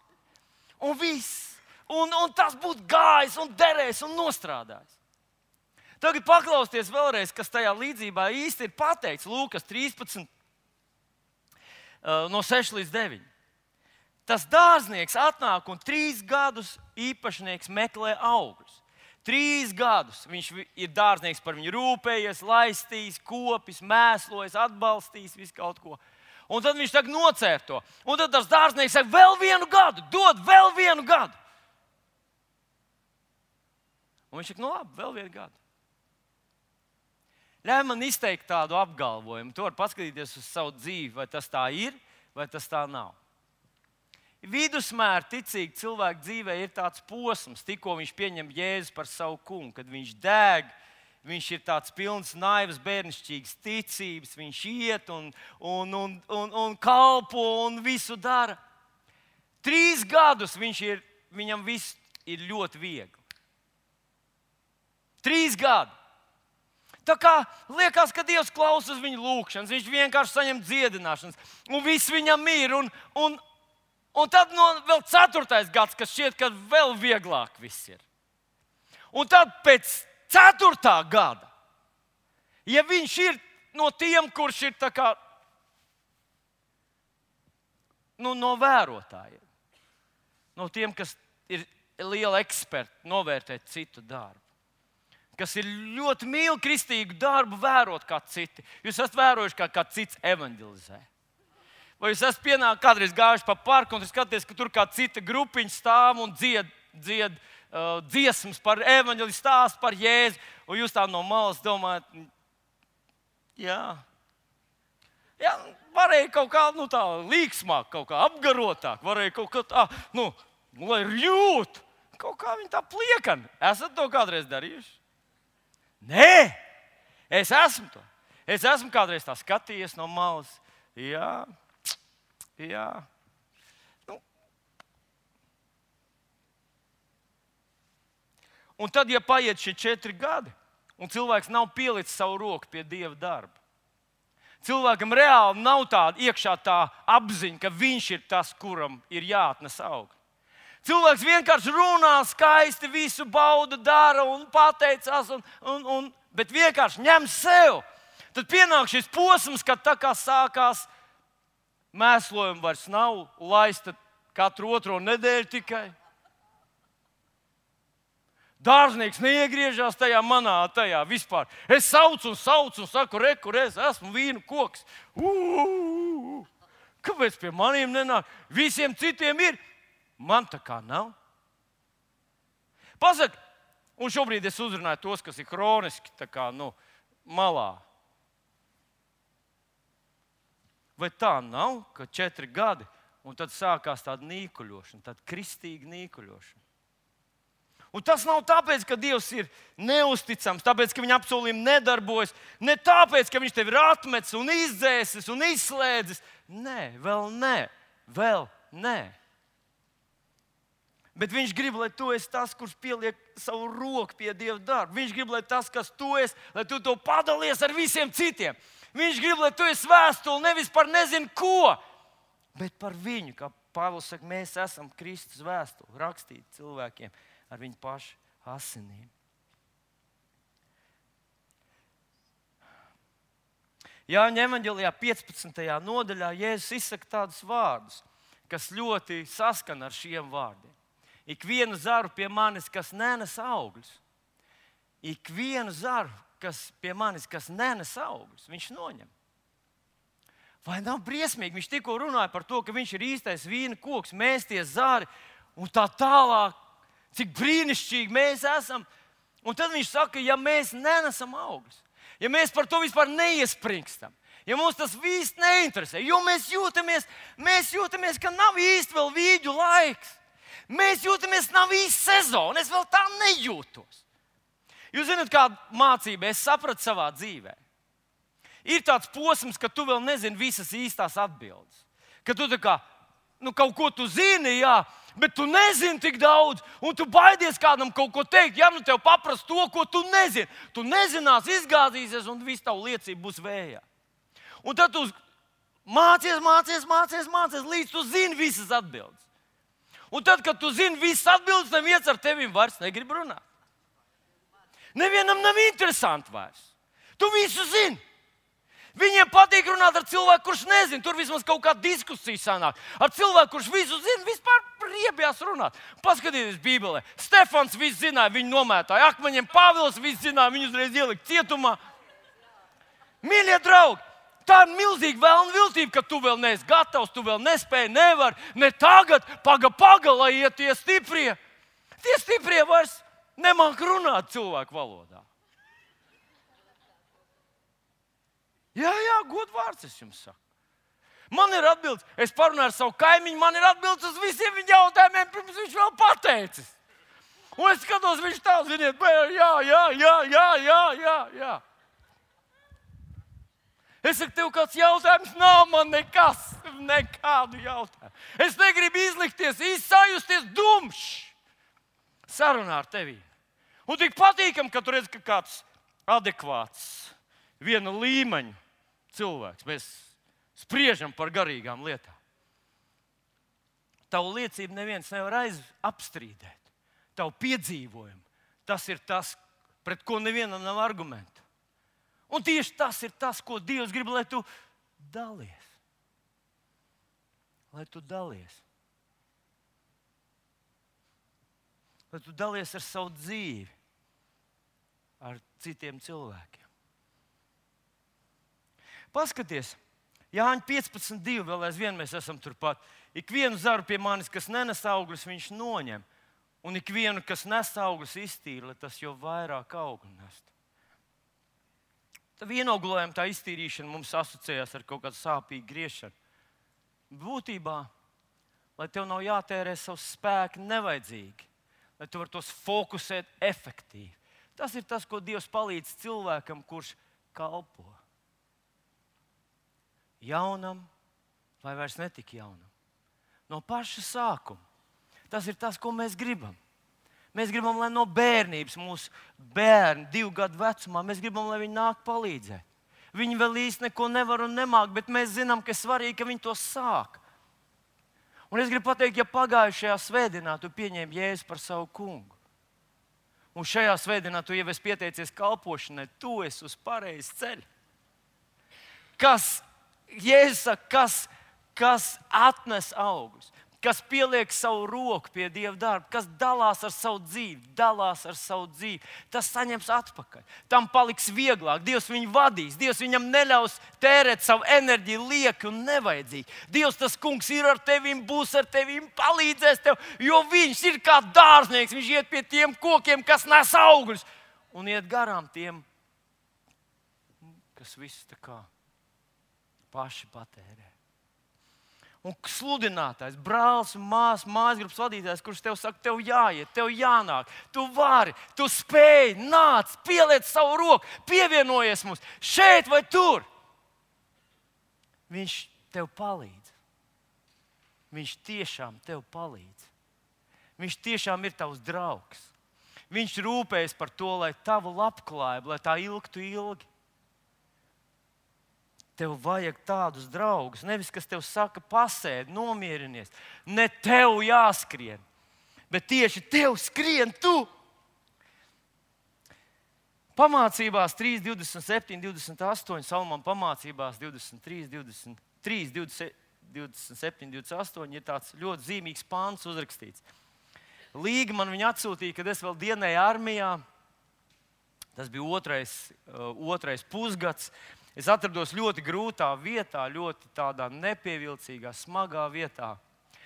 Un viss. Un, un tas būtu gājis un derējis un nostrādājis. Tagad paklausieties vēlreiz, kas tajā līdzībā īsti ir pateikts. Lūkas trīspadsmit, no seši līdz deviņi. Tas dārznieks atnāk un trīs gadus īpašnieks meklē augļus. Trīs gadus viņš ir dārznieks, par viņu rūpējies, laistījis, kopis, mēslojis, atbalstījis, visu kaut ko. Un tad viņš tagad nocēr to. Un tad tas dārznieks saka, vēl vienu gadu, dod vēl vienu gadu. Un viņš saka, nu labi, vēl vienu gadu. Ļauj man izteikt tādu apgalvojumu. Tu vari paskatīties uz savu dzīvi, vai tas tā ir, vai tas tā nav. Vidusmēra ticīgi cilvēku dzīvē ir tāds posms, tikko viņš pieņem Jēzu par savu kungu, kad viņš deg, viņš ir tāds pilns naivas, bērnišķīgas ticības, viņš iet un, un, un, un, un kalpo un visu dara. Trīs gadus viņš ir, viņam viss ir ļoti viegli. Trīs gadi. Tā kā liekas, ka Dievs klausās viņu lūgšanas, viņš vienkārši saņem dziedināšanas, un viss viņam ir. Un, un, un tad no vēl ceturtais gads, kas šķiet, ka vēl vieglāk viss ir. Un tad pēc ceturtā gada, ja viņš ir no tiem, kurš ir tā kā nu, no vērotājiem, no tiem, kas ir liela eksperti novērtēt citu darbu, kas ir ļoti mīl kristīgu darbu, vērot kā citi. Jūs esat vērojuši, kā, kā cits evanģelizē. Vai jūs esat pienākuši kādreiz gājuši pa parku un skaties, ka tur kā cita grupiņa stāv un dzied, dzied uh, dziesmas par evaņģeli, stāst par Jēzu, un jūs tā no malas domājat, jā, jā varēja kaut kā nu, tā līksmāk, kaut kā apgarotāk, varēja kaut kā tā, nu, lai jūt, kaut kā viņi tā pliekani. Esat to kādreiz darījuši? Nē, es esmu to. Es esmu kādreiz tā skatījies no malas. Jā, jā. Nu. Un tad, ja paiet šie četri gadi, un cilvēks nav pielicis savu roku pie Dieva darba, cilvēkam reāli nav tāda iekšā tā apziņa, ka viņš ir tas, kuram ir jāatnes augļi. Cilvēks vienkārši runā skaisti, visu bauda, dara un pateicās, un, un, un, bet vienkārši ņem sev. Tad pienāk šis posms, kad tā kā sākās mēslojumi vairs nav, laista katru otro nedēļu tikai. Dārznieks neiegriežās tajā manā, tajā vispār. Es saucu un saucu un saku, re, kur es esmu, vīnu koks. Uu, kāpēc pie maniem nenāk? Visiem citiem ir. Man tā kā nav. Pasaka, un šobrīd es uzrunāju tos, kas ir kroniski tā kā, nu, malā. Vai tā nav, ka četri gadi, un tad sākās tāda nīkuļošana, tāda kristīga nīkuļošana? Un tas nav tāpēc, ka Dievs ir neusticams, tāpēc, ka viņa apsolījumi nedarbojas, ne tāpēc, ka viņš tevi ir atmetis un izdzēsis un izslēdzis. Nē, vēl nē, vēl nē. Bet viņš grib, lai tu esi tas, kurš pieliek savu roku pie Dieva darba. Viņš grib, lai tas, kas tu esi, lai tu to padalies ar visiem citiem. Viņš grib, lai tu esi vēstuli nevis par nezinu ko, bet par viņu. Kā Pāvils saka, mēs esam Kristus vēstuli, rakstīti cilvēkiem ar viņu pašu asinīm. Jāņa evaņģelijā piecpadsmitajā nodaļā Jēzus izsaka tādus vārdus, kas ļoti saskana ar šiem vārdiem. Ikvienu zaru pie manis, kas nenes augļus, ikvienu zaru, kas pie manis, kas nenes augļus, viņš noņem. Vai nav briesmīgi? Viņš tikko runāja par to, ka viņš ir īstais vīna koks, mēs tie zari un tā tālāk, cik brīnišķīgi mēs esam. Un tad viņš saka, ja mēs nenesam augļus, ja mēs par to vispār neiespringstam, ja mums tas viss neinteresē, jo mēs jūtamies, mēs jūtamies, ka nav īsti vēl vīģu laiks. Mēs jūtamies, nav īsta sezona. Es vēl tā nejūtos. Jūs zināt, kādu mācību es sapratu savā dzīvē. Ir tāds posms, ka tu vēl nezini visas īstās atbildes. Ka tu tā kā, nu, kaut ko tu zini, jā, bet tu nezini tik daudz, un tu baidies kādam kaut ko teikt. Ja nu tev paprast to, ko tu nezini, tu nezinās, izgāzīsies, un viss tavu liecība būs vējā. Un tad tu mācies, mācies, mācies, mācies, līdz tu zini visas atbildes. Un tad, kad tu zini visas atbildes, neviens ar tevi vairs negrib runāt. Nevienam nav interesanti vairs. Tu visu zini. Viņiem patīk runāt ar cilvēku, kurš nezina. Tur vismaz kaut kāda diskusija sanāk. Ar cilvēku, kurš visu zina, vispār riebjās runāt. Paskatieties Bībelē. Stefans visu zināja, viņu nomētāja akmeņiem. Pāvils visu zināja, viņu uzreiz ielikt cietumā. Mīļie draugi! Tā ir milzīga vēlna viltība, ka tu vēl neesi gatavs, tu vēl nespēji, nevar, ne tagad, paga, paga, lai iet tie stiprie. Tie stiprie vairs nemāk runāt cilvēku valodā. Jā, jā, godvārds es jums saku. Man ir atbildes, es parunāju ar savu kaimiņu, man ir atbildes uz visiem viņa jautājumiem, pirms viņš vēl pateicis. Un es skatos, viņš tā, ziniet, jā, jā, jā, jā, jā, jā, jā. Es saku, tev kāds jautājums nav, man nekas, nekādu jautājumu. Es negribu izlikties, izsajusties dumšs sarunā ar tevi. Un tik patīkam, ka tu redz, ka kāds adekvāts, viena līmeņa cilvēks. Mēs spriežam par garīgām lietām. Tavu liecību neviens nevar aiz apstrīdēt. Tavu piedzīvojumu. Tas ir tas, pret ko nevienam nav argumentu. Un tieši tas ir tas, ko Dievs grib, lai tu dalies. Lai tu dalies. Lai tu dalies ar savu dzīvi, ar citiem cilvēkiem. Paskaties, Jāņa piecpadsmit divi, vēl aizvien mēs esam turpat. Ikvienu zaru pie manis, kas nenes augļus, viņš noņem. Un ikvienu, kas nes augļus, iztīra, lai tas jau vairāk augļu nestu. Tā vienoglojuma, tā iztīrīšana mums asociējās ar kaut kādu sāpīgu griešanu. Būtībā, lai tev nav jātērē savs spēki nevajadzīgi, lai tu var tos fokusēt efektīvi. Tas ir tas, ko Dievs palīdz cilvēkam, kurš kalpo. Jaunam vai vairs netik jaunam. No paša sākuma. Tas ir tas, ko mēs gribam. Mēs gribam, lai no bērnības mūsu bērni, divu gadu vecumā, mēs gribam, lai viņi nāk palīdzēt. Viņi vēl īsti neko nevar un nemāk, bet mēs zinām, ka ir svarīgi, ka viņi to sāk. Un es gribu pateikt, ja pagājušajā svētdienā tu pieņēmi Jēzu par savu kungu, un šajā svētdienā tu jau esi pieteicies kalpošanai, tu esi uz pareizes ceļa. Kas, Jēzus saka, kas, kas atnes augus, kas pieliek savu roku pie Dieva darba, kas dalās ar savu dzīvi, dalās ar savu dzīvi, tas saņems atpakaļ. Tam paliks vieglāk, Dievs viņu vadīs, Dievs viņam neļaus tērēt savu enerģiju lieki un nevajadzīgi. Dievs, tas kungs ir ar tevim, būs ar tevim, palīdzēs tev, jo viņš ir kā dārznieks, viņš iet pie tiem kokiem, kas nes augļus, un iet garām tiem, kas visu tā kā paši patērē. Un sludinātājs, brālis un māsas, mājasgrupas vadītājs, kurš tev saka, tev jāiet, tev jānāk, tu vari, tu spēj, nāc, pieliec savu roku, pievienojies mums šeit vai tur. Viņš tev palīdz. Viņš tiešām tev palīdz. Viņš tiešām ir tavs draugs. Viņš rūpējas par to, lai tavu labklājību, lai tā ilgtu ilgi. Tev vajag tādus draugus, nevis kas tev saka, pasēdi, nomierinies. Ne tev jāskrien, bet tieši tev skrien tu. Pamācībās trīs, divdesmit septiņi, divdesmit astoņi, Salmāna pamācībās divdesmit trīs, divdesmit trīs, divdesmit septiņi, divdesmit astoņi ir tāds ļoti zīmīgs pāns uzrakstīts. Līga man viņu atsūtīja, kad es vēl dienēju armijā. Tas bija otrais, uh, otrais pusgads. Es atrados ļoti grūtā vietā, ļoti tādā nepievilcīgā, smagā vietā.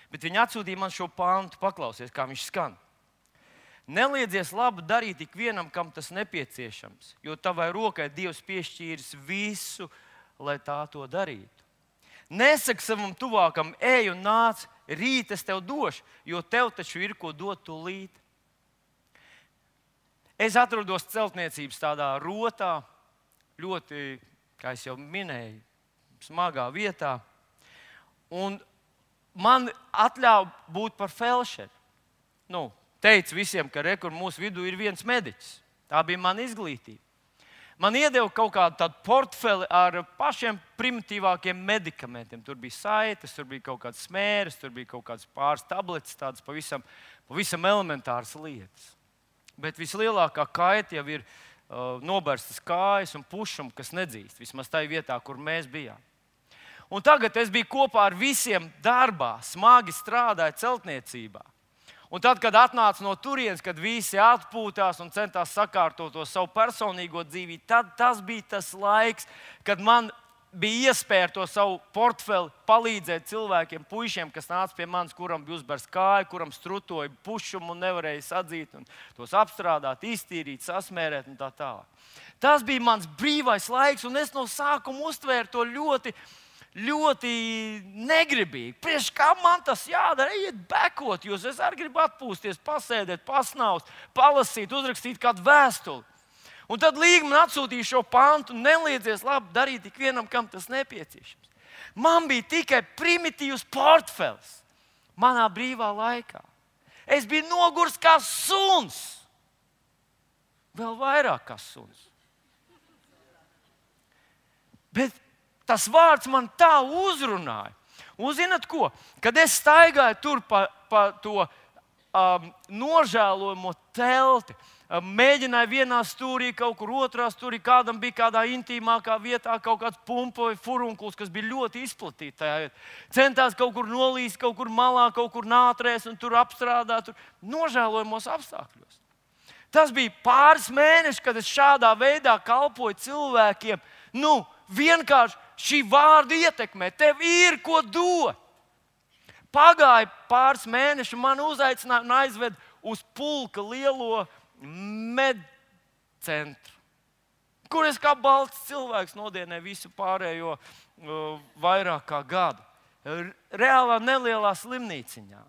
Bet viņi atsūtīja man šo pāntu, paklausies, kā viņš skan. Neliedzies labu darīt ikvienam, kam tas nepieciešams, jo tavai rokai Dievs piešķīris visu, lai tā to darītu. Nesaki savam tuvākam, ej un nāc, rīt es tev došu, jo tev taču ir ko dot tūlīt. Es atrodos celtniecības tādā rotā, ļoti, kā es jau minēju, smagā vietā. Un man atļauj būt par felšeri. Nu, teicu visiem, ka re, kur mūsu vidū ir viens mediķis. Tā bija mana izglītība. Man iedeva kaut kādu tādu portfeli ar pašiem primitīvākiem medikamentiem. Tur bija saites, tur bija kaut kādas smēres, tur bija kaut kādas pāris tabletes, tādas pavisam, pavisam elementāras lietas. Bet vislielākā kaita jau ir uh, noberstas kājas un pušumi, kas nedzīst. Vismaz tajā vietā, kur mēs bijām. Un tagad es biju kopā ar visiem darbā, smagi strādāju celtniecībā. Un tad, kad atnāca no turienes, kad visi atpūtās un centās sakārtot to savu personīgo dzīvību, tad tas bija tas laiks, kad man bija iespēja ar to savu portfeli palīdzēt cilvēkiem, puišiem, kas nāca pie manis, kuram bija uzbērts kāja, kuram strutoja pušumu un nevarēja sadzīt, un tos apstrādāt, iztīrīt, sasmērēt un tā tālāk. Tas bija mans brīvais laiks, un es no sākuma uztvēru to ļoti, ļoti negribīgi. Priekš kā man tas jādara, ejiet bekot, jo es arī gribu atpūsties, pasēdēt, pasnaust, palasīt, uzrakstīt kādu vēstuli. Un tad Līga man atsūtīja šo pantu, neliedzies labi darīt ikvienam, kam tas nepieciešams. Man bija tikai primitīvs portfels manā brīvā laikā. Es biju nogurs kā suns. Vēl vairāk kā suns. Bet tas vārds man tā uzrunāja. Un zināt ko? Kad es staigāju tur pa, pa to um, nožēlojamo telti, um, mēģināju vienā stūrī, kaut kur otrā stūrī, kādam bija kādā intīmākā vietā kaut kāds pumpa vai furunkuls, kas bija ļoti izplatīts tajā vietā. Centās kaut kur nolīst, kaut kur malā, kaut kur nātrēs un tur apstrādāt, tur nožēlojamos apstākļos. Tas bija pāris mēneši, kad es šādā veidā kalpoju cilvēkiem, nu, vienkārši šī vārda ietekmē, tev ir ko dot. Pagāja pāris mēneši, man uzaicināja un aizved uz pulka lielo medcentru, kur es kā balts cilvēks nodienēju visu pārējo uh, vairāk kā gadu. Reālā nelielā slimnīciņā.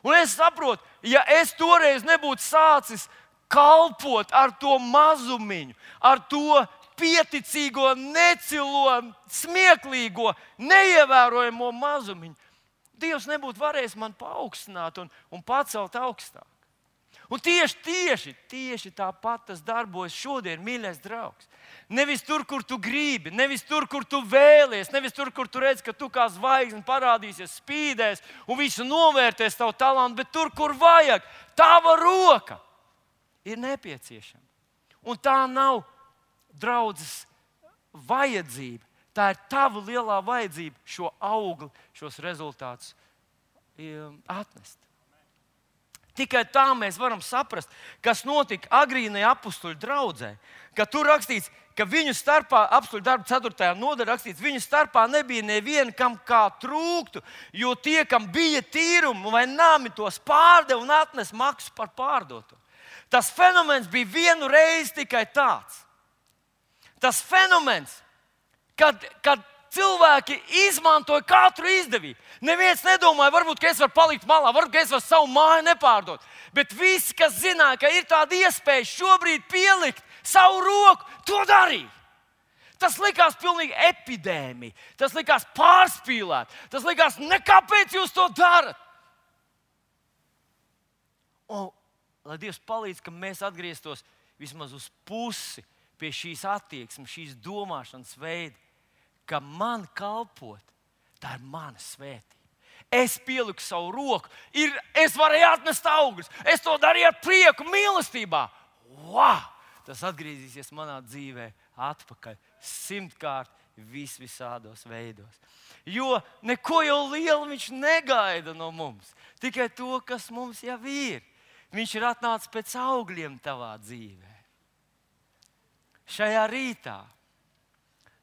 Un es saprotu, ja es toreiz nebūtu sācis kalpot ar to mazumiņu, ar to pieticīgo, necilo, smieklīgo, neievērojamo mazumiņu, Dievs nebūtu varējis man paaugstināt un, un pacelt augstāk. Un tieši, tieši, tieši tāpat tas darbojas šodien, mīļais draugs. Nevis tur, kur tu gribi, nevis tur, kur tu vēlies, nevis tur, kur tu redz, ka tu kā zvaigzne parādīsies, spīdēs un visu novērtēs tavu talantu, bet tur, kur vajag, tava roka ir nepieciešama. Un tā nav draudzes vajadzība. Tā ir tava lielā vajadzība šo augli, šos rezultātus atnest. Tikai tā mēs varam saprast, kas notika agrīnajā apustuļu draudzē. Ka tur rakstīts, ka viņu starpā, apustuļu darba ceturtajā nodaļā rakstīts, viņu starpā nebija neviena, kam kā trūktu, jo tie, kam bija tīrumi vai nami, tos pārdeva un atnes maksu par pārdoto. Tas fenomens bija vienu reizi tikai tāds. Tas fenomens, kad, kad cilvēki izmantoja katru izdevību. Neviens nedomāja, varbūt, ka es varu palikt malā, varbūt, ka es varu savu māju nepārdot. Bet visi, kas zināja, ka ir tāda iespēja šobrīd pielikt savu roku, to darīja. Tas likās pilnīgi epidēmija. Tas likās pārspīlēt. Tas likās, nekāpēc jūs to darat. Un, lai Dievs palīdz, ka mēs atgrieztos vismaz uz pusi pie šīs attieksmes, šīs domāšanas veida, ka man kalpot, tā ir mana svētība. Es pieliku savu roku, ir, es varēju atnest augļus, es to darīju ar prieku, mīlestībā. Wow! Tas atgriezīsies manā dzīvē atpakaļ simtkārt vis visādos veidos. Jo neko jau lielu viņš negaida no mums, tikai to, kas mums jau ir. Viņš ir atnācis pēc augļiem tavā dzīvē. Šajā rītā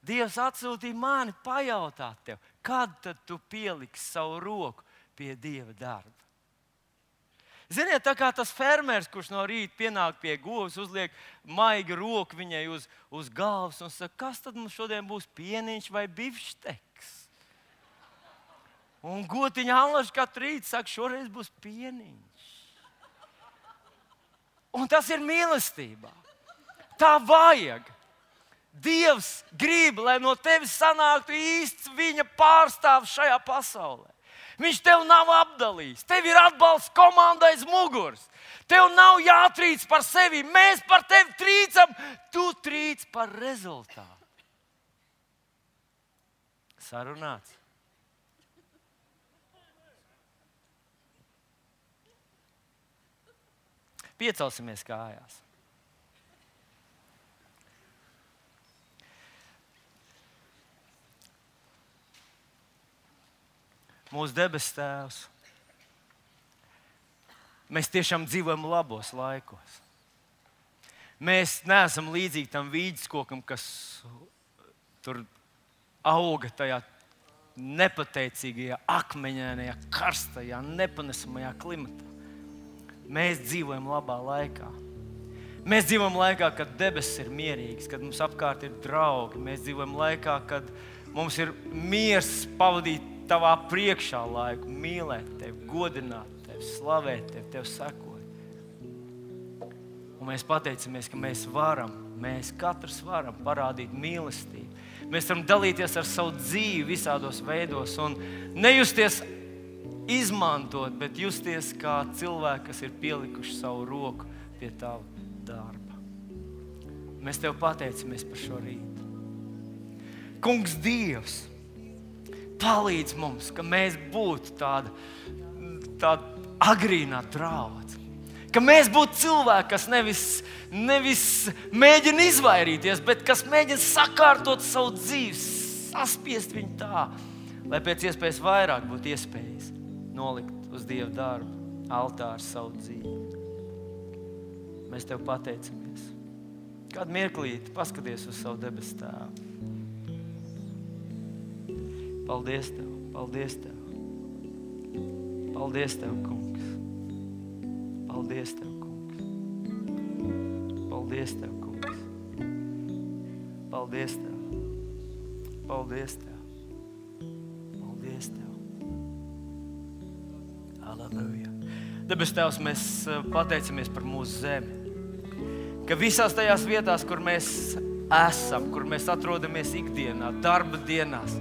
Dievs atsūtīja mani pajautāt tev, kad tad tu pieliksi savu roku pie Dieva darba. Ziniet, tā kā tas fermers, kurš no rīta pienāk pie govs, uzliek maigu roku viņai uz, uz galvas un saka, kas tad mums šodien būs, pieniņš vai bifšteks? Un gotiņa Allaž katru rītu saka, šoreiz būs pieniņš. Un tas ir mīlestībā. Tā vajag. Dievs grib, lai no tevis sanāktu īsts viņa pārstāvs šajā pasaulē. Viņš tev nav apdalījis. Tev ir atbalsts komanda aiz muguras. Tev nav jātrīc par sevi. Mēs par tevi trīcam. Tu trīc par rezultātu. Sarunāts. Piecelsimies kājās. Mūsu debes Tēvs, mēs tiešām dzīvojam labos laikos. Mēs neesam līdzīgi tam vīģeskokam, kas tur auga tajā nepateicīgajā, akmeņainajā, karstajā, nepanesamajā klimatā. Mēs dzīvojam labā laikā. Mēs dzīvojam laikā, kad debesis ir mierīgas, kad mums apkārt ir draugi. Mēs dzīvojam laikā, kad mums ir miers pavadīt tavā priekšā laiku, mīlēt tevi, godināt tevi, slavēt tevi, tev sekot. Un mēs pateicamies, ka mēs varam, mēs katrs varam parādīt mīlestību. Mēs varam dalīties ar savu dzīvi visādos veidos un nejusties izmantot, bet justies kā cilvēki, kas ir pielikuši savu roku pie tava darba. Mēs tev pateicamies par šo rītu. Kungs Dievs, palīdz mums, ka mēs būtu tāda, tāda agrīnā draudze. Ka mēs būtu cilvēki, kas nevis, nevis mēģina izvairīties, bet kas mēģina sakārtot savu dzīvi, saspiest viņu tā, lai pēc iespējas vairāk būtu iespējas nolikt uz Dieva darbu, altāru savu dzīvi. Mēs tev pateicamies. Kādu mirklīti paskaties uz savu debesu Tēvu. Paldies Tev, paldies Tev. Paldies Tev, kungs. Paldies Tev, kungs. Paldies Tev, kungs. Paldies Tev. Paldies Tev. Paldies Tev. Halleluja. Debes Tevs, mēs pateicamies par mūsu zemi. Ka visās tajās vietās, kur mēs esam, kur mēs atrodamies ikdienā, darba dienās,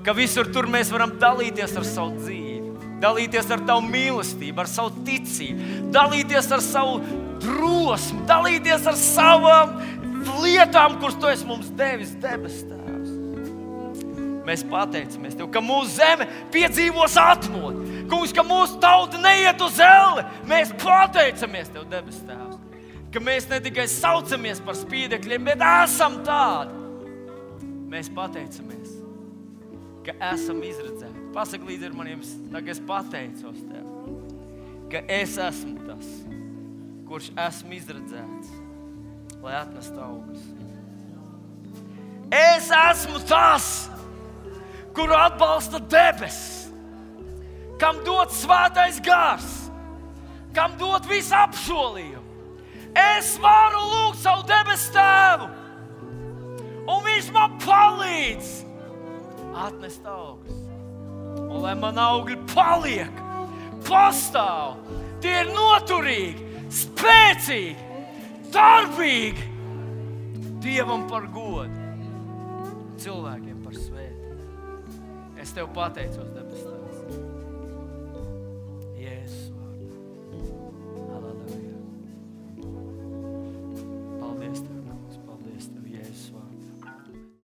ka visur tur mēs varam dalīties ar savu dzīvi, dalīties ar Tavu mīlestību, ar savu ticību, dalīties ar savu drosmi, dalīties ar savām lietām, kuras Tu esi mums devis, debes Tēvs. Mēs pateicamies Tev, ka mūsu zeme piedzīvos atmodu. Kungs, ka mūsu tauta neiet uz elli. Mēs pateicamies Tev, debes Tēvs, ka mēs ne tikai saucamies par spīdekļiem, bet esam tādi. Mēs pateicamies, ka esam izredzēti. Pasaki līdzi ar maniem, tā kā es pateicos Tev, ka es esmu tas, kurš esmu izredzēts, lai atnestu augus. Es esmu tas, kuru atbalsta debesis, kam dod svētais gars, kam dod visu apsolījumu. Es varu lūgt savu debesu Tēvu, un Viņš man palīdz atnest augus. Un lai man augļi paliek, pastāv, tie ir noturīgi, spēcīgi, darbīgi, Dievam par godu, cilvēkiem par svētību. Es Tev pateicos, debes Tēvs.